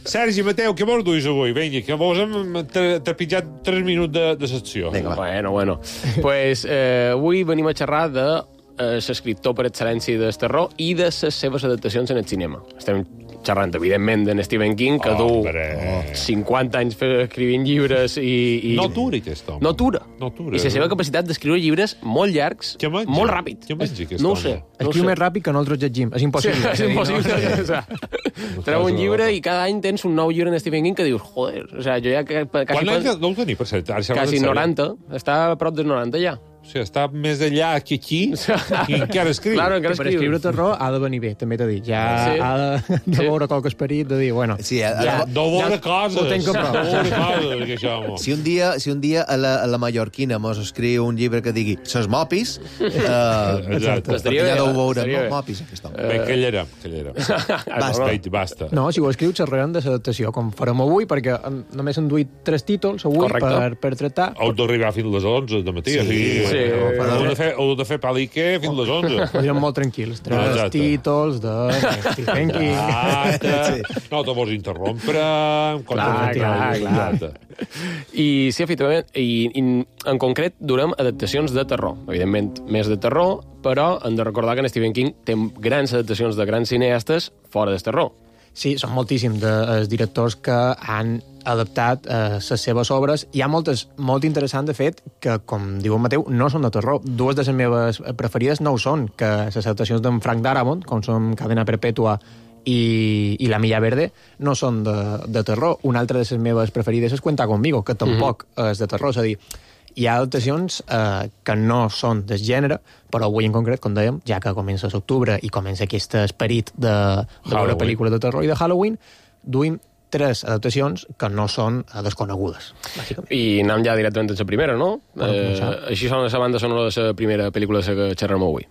Sergi, Mateu, què vols duis avui? Vinga, que vos hem trepitjat 3 minuts de secció. Bueno. Pues avui venim a xerrar de l'escriptor per excel·lència del terror i de les seves adaptacions en el cinema. Estem xerrant, evidentment, d'en Stephen King, que du 50 anys escrivint llibres i... No atura, aquest home. No atura. I la seva capacitat d'escriure llibres molt llargs, molt ràpid. Què menja, aquest home? No ho sé. Escriu més ràpid que nosaltres llegim. És impossible. Sí, és impossible. Treu un llibre i cada any tens un nou llibre en Stephen King que dius, joder, jo ja... Quan anys deu tenir, per cert? Quasi 90. Està a prop dels 90 ja. O sigui, està més allà que aquí i encara escriu. Claro, encara Per escriure terror ha de venir bé, també t'he dit. Ja ha de veure qualque esperit, de dir, bueno... Sí, de veure coses. Ho tenc a prop. De veure coses, que això, home. Si un dia a la mallorquina mos escriu un llibre que digui ses mopis, Exacte. perquè ja deu veure mopis, aquest home. Bé, callarem. Basta. No, si ho escriu, xerrarem de l'adaptació, com farem avui, perquè només han duit 3 títols avui per tractar. Heu d'arribar fins a les 11 de matí. Sí. Heu de fer palique fins a les 11. Podríem molt tranquils. 3 títols de Stephen King. No te vols interrompre. Clar. I sí, efectivament, i en concret durem adaptacions de terror. Evidentment, més de terror, però hem de recordar que en Stephen King té grans adaptacions de grans cineastes fora del terror. Sí, són moltíssims els directors que han adaptat les seves obres. Hi ha moltes molt interessants, de fet, que, com diu en Mateu, no són de terror. 2 de les meves preferides no ho són, que les adaptacions d'en Frank Darabont, com són Cadena Perpètua i La Milla Verde, no són de terror. Una altra de les meves preferides és Cuenta Conmigo, que tampoc és de terror. És a dir, hi ha adaptacions que no són del gènere, però avui en concret, com dèiem, ja que comença l'octubre i comença aquest esperit de veure pel·lícules de terror i de Halloween, duim 3 adaptacions que no són desconegudes, bàsicament. I anem ja directament a la primera, no? Així sona la banda sonora de la primera pel·lícula de la que xerrem avui.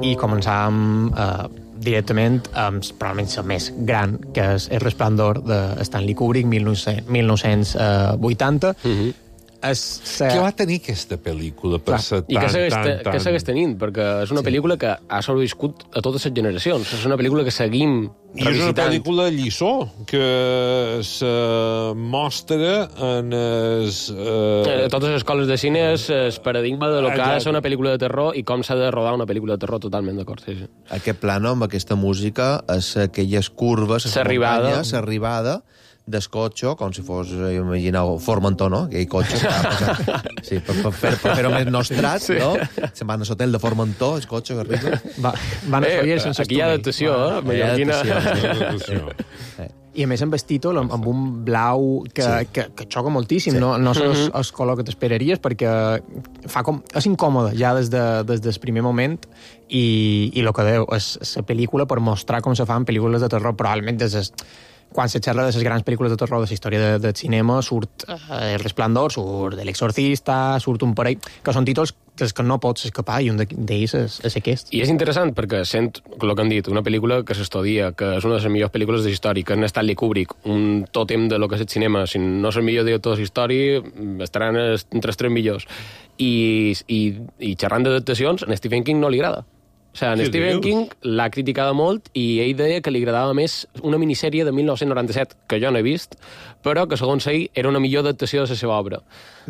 I començàvem directament amb probablement la més gran, que és El Resplendor de Stanley Kubrick, 1980. Què va tenir aquesta pel·lícula per ser I què segueix tenint? Perquè és una pel·lícula que ha sobreviscut a totes les generacions. És una pel·lícula que seguim revisitant. I és una pel·lícula lliçó que se mostra en totes les escoles de cine és el paradigma de lo que ha de ser una pel·lícula de terror i com s'ha de rodar una pel·lícula de terror, totalment d'acord. Sí. Aquest plano amb aquesta música és aquelles curves, l'arribada del cotxe, com si fos, imagineu, Formentor, no? Aquell cotxe que va passar. Sí, per fer-ho més nostrat, no? Se'n van a l'hotel de Formentor, el cotxe que arriba. Van a fer sense aquí hi ha adaptació, mallorquina. I a més amb el títol, amb un blau que xoca moltíssim, no és el color que t'esperaries, perquè és incòmode ja des del primer moment, i el que deu és la pel·lícula per mostrar com se fan pel·lícules de terror, probablement quan se xerra de les grans pel·lícules de terror de la història del cinema, surt El Resplendor, surt L'Exorcista, surt un parell, que són títols dels que no pots escapar, i un d'ells és aquest. I és interessant perquè sent, el que han dit, una pel·lícula que s'estudia, que és una de les millors pel·lícules de la història, que en Stanley Kubrick, un tòtem de lo que és el cinema, si no és el millor director de la història, estaran entre els 3 millors. I xerrant d'adaptacions, a Stephen King no li agrada. O sigui, Stephen King l'ha criticada molt i ell deia que li agradava més una minissèrie de 1997, que jo no he vist, però que segons ell era una millor adaptació de la seva obra.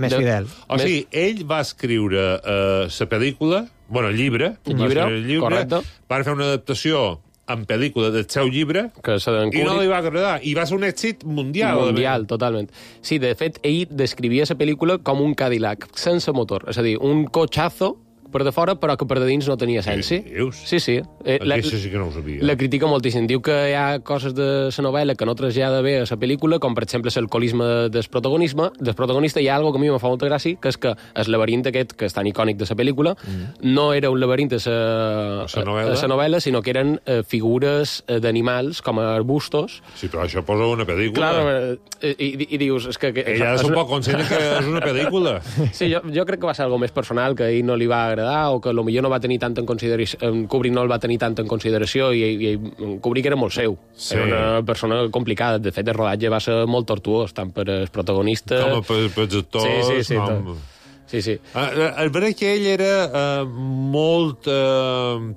Més fidel. O sigui, ell va escriure la pel·lícula, el llibre, correcte. Va fer una adaptació en pel·lícula del seu llibre i no li va agradar. I va ser un èxit mundial. Mundial, totalment. Sí, de fet, ell descrivia la pel·lícula com un Cadillac, sense motor. És a dir, un cotxazo per de fora, però que per de dins no tenia essència. Sí. Això sí que no ho sabia. La critica moltíssim. Diu que hi ha coses de la novel·la que no trasllada bé a la pel·lícula, com per exemple l'alcoholisme del protagonista. Hi ha algo que a mi me fa molta gràcia, que és que el laberint aquest, que és tan icònic de la pel·lícula, no era un laberint de la novel·la, sinó que eren figures d'animals, com arbustos. Sí, però això posa una pel·lícula. Clar, i dius... Ella és un poc conscient que és una pel·lícula. Sí, jo crec que va ser algo més personal, que a ell no li va agradar, o que potser no va tenir tant en consideració, Kubrick no el va tenir tant en consideració, i Kubrick era molt seu. Sí. Era una persona complicada. De fet, el rodatge va ser molt tortuós, tant per als protagonistes... Com per els actors... Sí. El veure que ell era molt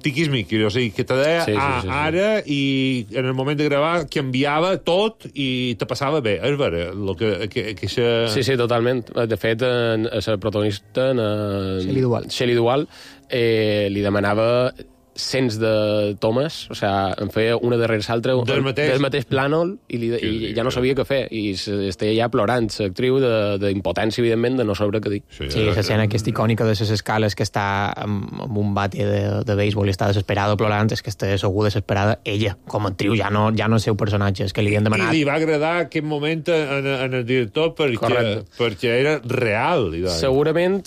tiquismiqui, o sigui, que te deia ara, i en el moment de gravar canviava tot i te passava bé. És vera, Sí, totalment. De fet, la protagonista, Shelley Duvall, li demanava cents de tomes, o sigui, em feia una darrere l'altra del mateix plànol i ja no sabia què fer, i estava ja plorant l'actriu d'impotència, evidentment, de no saber què dir. Sí, l'escena aquesta icònica de les escales que està amb un bate de béisbol i està desesperada plorant, és que està segur desesperada ella, com a actriu, ja no el seu personatge, és que li havien demanat... I li va agradar aquest moment en el director perquè era real. Segurament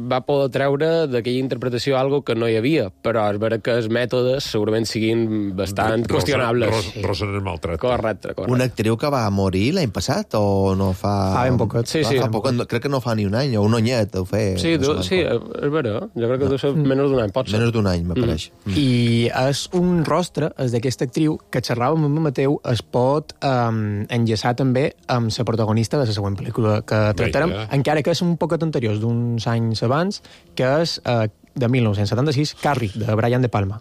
va poder treure d'aquella interpretació algo que no hi havia, però és vera que els mètodes segurament siguin bastant qüestionables. Rosen el maltracte. Correcte. Una actriu que va morir l'any passat o no fa... Fa ben poquet. Sí. Fa poc, crec que no fa ni un any, o un anyet, ho feia. Sí, és vera. Jo crec que deu ser menys d'un any, pot ser. Menys d'un any, m'apareix. I és un rostre, és d'aquesta actriu, que xerrava amb el Mateu, es pot enllaçar també amb la protagonista de la següent pel·lícula que tractarem, encara que és un poquet anterior, d'uns anys abans, que és de 1976, Carrie, de Brian De Palma.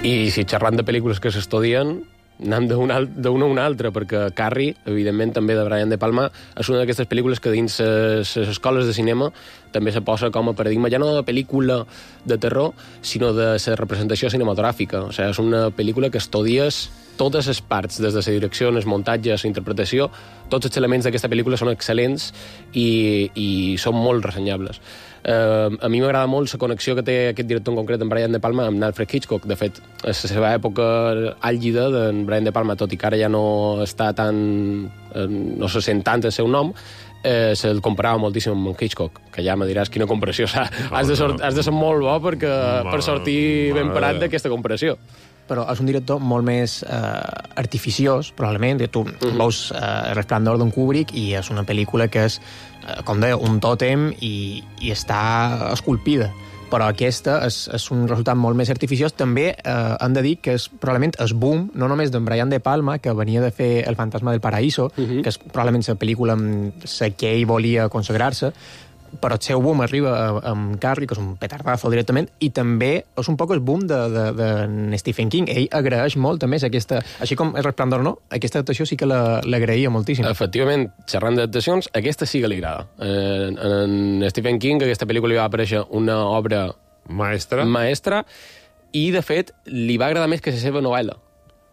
I si xerrant de pel·lícules que s'estudien, anem d'una a una altra, perquè Carrie, evidentment, també de Brian De Palma, és una d'aquestes pel·lícules que dins les escoles de cinema també se posa com a paradigma, ja no de pel·lícula de terror, sinó de la representació cinematogràfica. O sigui, és una pel·lícula que estudies totes les parts, des de la direcció, el muntatge, la interpretació, tots els elements d'aquesta pel·lícula són excel·lents i són molt ressenyables. A mi m'agrada molt la connexió que té aquest director en concret, en Brian De Palma, amb Alfred Hitchcock. De fet, a la seva època àlgida d'en Brian De Palma, tot i que ara ja no està tan... no se sent tant el seu nom, se'l comparava moltíssim amb Hitchcock, que ja me diràs quina comparació. Has de ser molt bo per sortir ben parat d'aquesta comparació. Però és un director molt més artificiós, probablement. Tu veus El resplendor d'en Kubrick i és una pel·lícula que és, com deia, un tòtem i està esculpida. Però aquesta és un resultat molt més artificiós. També hem de dir que és probablement el boom, no només d'en Brian De Palma, que venia de fer El fantasma del paraíso, que és probablement la pel·lícula amb la que ell volia consagrar-se, però el seu boom arriba amb Carrie, que és un petardazo directament, i també és un poc el boom de Stephen King. Ell agraeix molt també aquesta... Així com El resplendor no, aquesta adaptació sí que l'agraïa moltíssim. Efectivament, xerrant d'adaptacions, aquesta sí que li agrada. En Stephen King aquesta pel·lícula li va aparèixer una obra maestra i, de fet, li va agradar més que la seva novel·la.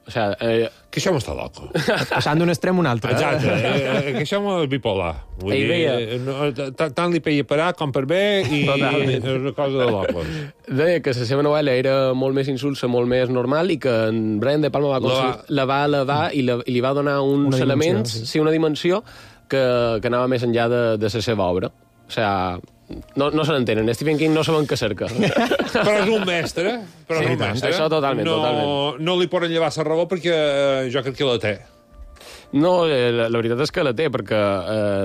O sigui... Que això m'està loco. Passant d'un extrem a un altre. Exacte, que això m'és bipolar. Vull dir, tant li peia per A com per B i és una cosa de locos. Deia que la seva novel·la era molt més insulsa, molt més normal, i que en Brian De Palma la va elevar i li va donar uns elements, una dimensió que anava més enllà de la seva obra. O sigui... No se n'entenen, Stephen King no saben què cerca. Però és un mestre. Això totalment. No li poden llevar la raó perquè jo crec que la té. No, la veritat és que la té, perquè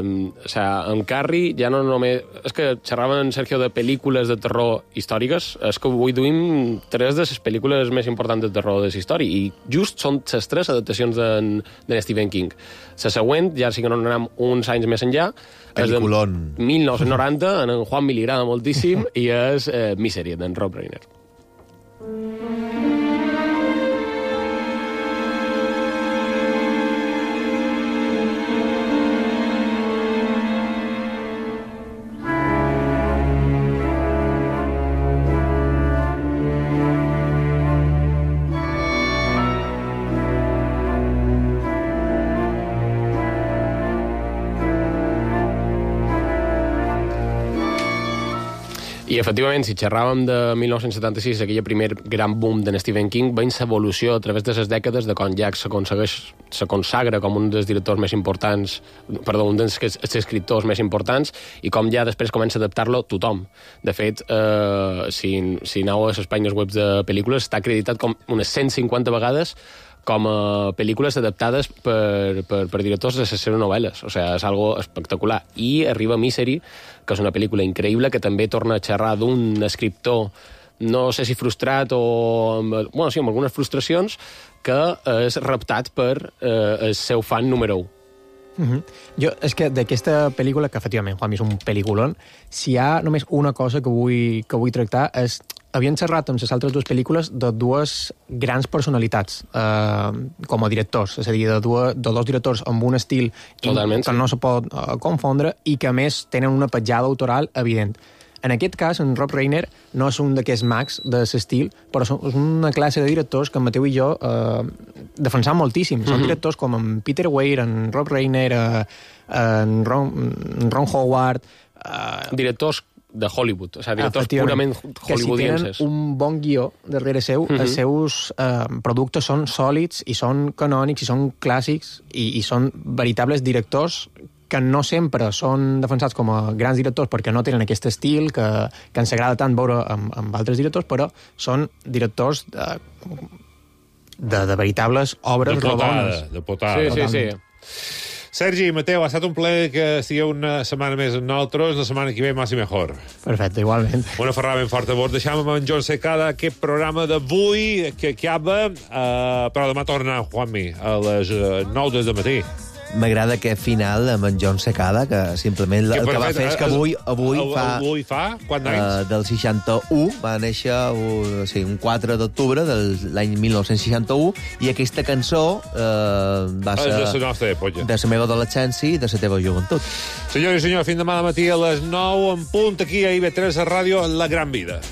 en Carrie ja no només... És que xerraven, Sergio, de pel·lícules de terror històriques. És que avui duim 3 de les pel·lícules més importants de terror de la història, i just són les 3 adaptacions de Stephen King. La següent, ja sí que no anem uns anys més enllà, Peliculón. És de 1990, en Juan li agrada moltíssim, i és Misery, d'en Rob Reiner. I, efectivament, si xerràvem de 1976, aquella primer gran boom de Stephen King, veiem l'evolució a través de les dècades de quan Jack se consagra com un dels directors més importants, un dels escriptors més importants, i com ja després comença a adaptar-lo tothom. De fet, si aneu a les pàgines web de pel·lícules, està acreditat com unes 150 vegades com a pel·lícules adaptades per directors de les seves novel·les. O sigui, és algo espectacular. I arriba Misery, que és una pel·lícula increïble, que també torna a xerrar d'un escriptor, no sé si frustrat o... Bueno, sí, amb algunes frustracions, que és reptat per el seu fan número 1. Jo, és que d'aquesta pel·lícula, que efectivament, Juanmi, és un pel·lículon, si hi ha només una cosa que vull tractar és havien xerrat amb les altres dues pel·lícules de dues grans personalitats com a directors, és a dir, de dos directors amb un estil que no se pot confondre i que, a més, tenen una petjada autoral evident. En aquest cas, en Rob Reiner no és un d'aquests mags de l'estil, però és una classe de directors que en Mateu i jo defensam moltíssim. Són directors com en Peter Weir, en Rob Reiner, en Ron Howard... Directors de Hollywood, o sigui, directors purament hollywoodienses. Que si tenen un bon guió darrere seu, els seus productes són sòlids i són canònics i són clàssics i són veritables directors que no sempre són defensats com a grans directors perquè no tenen aquest estil que ens agrada tant veure amb altres directors, però són directors de veritables obres rodones. De potada. Sí. Sergi i Mateu, ha estat un plaer que estigueu una setmana més amb nosaltres. La setmana que ve, més i millor. Perfecte, igualment. Una ferrada ben forta. Vos deixam amb en Joan Secada aquest programa d'avui que acaba, però demà torna Juanmi a les 9 del matí. M'agrada aquest final amb en Joan Secada, que simplement el que va fer és que avui fa quants anys? Del 61, va néixer un 4 d'octubre de l'any 1961, i aquesta cançó va ser de la meva adolescència i de la teva joventut. Senyors i senyors, fins demà al matí a les 9 en punt, aquí a IB3 Ràdio, La Gran Vida.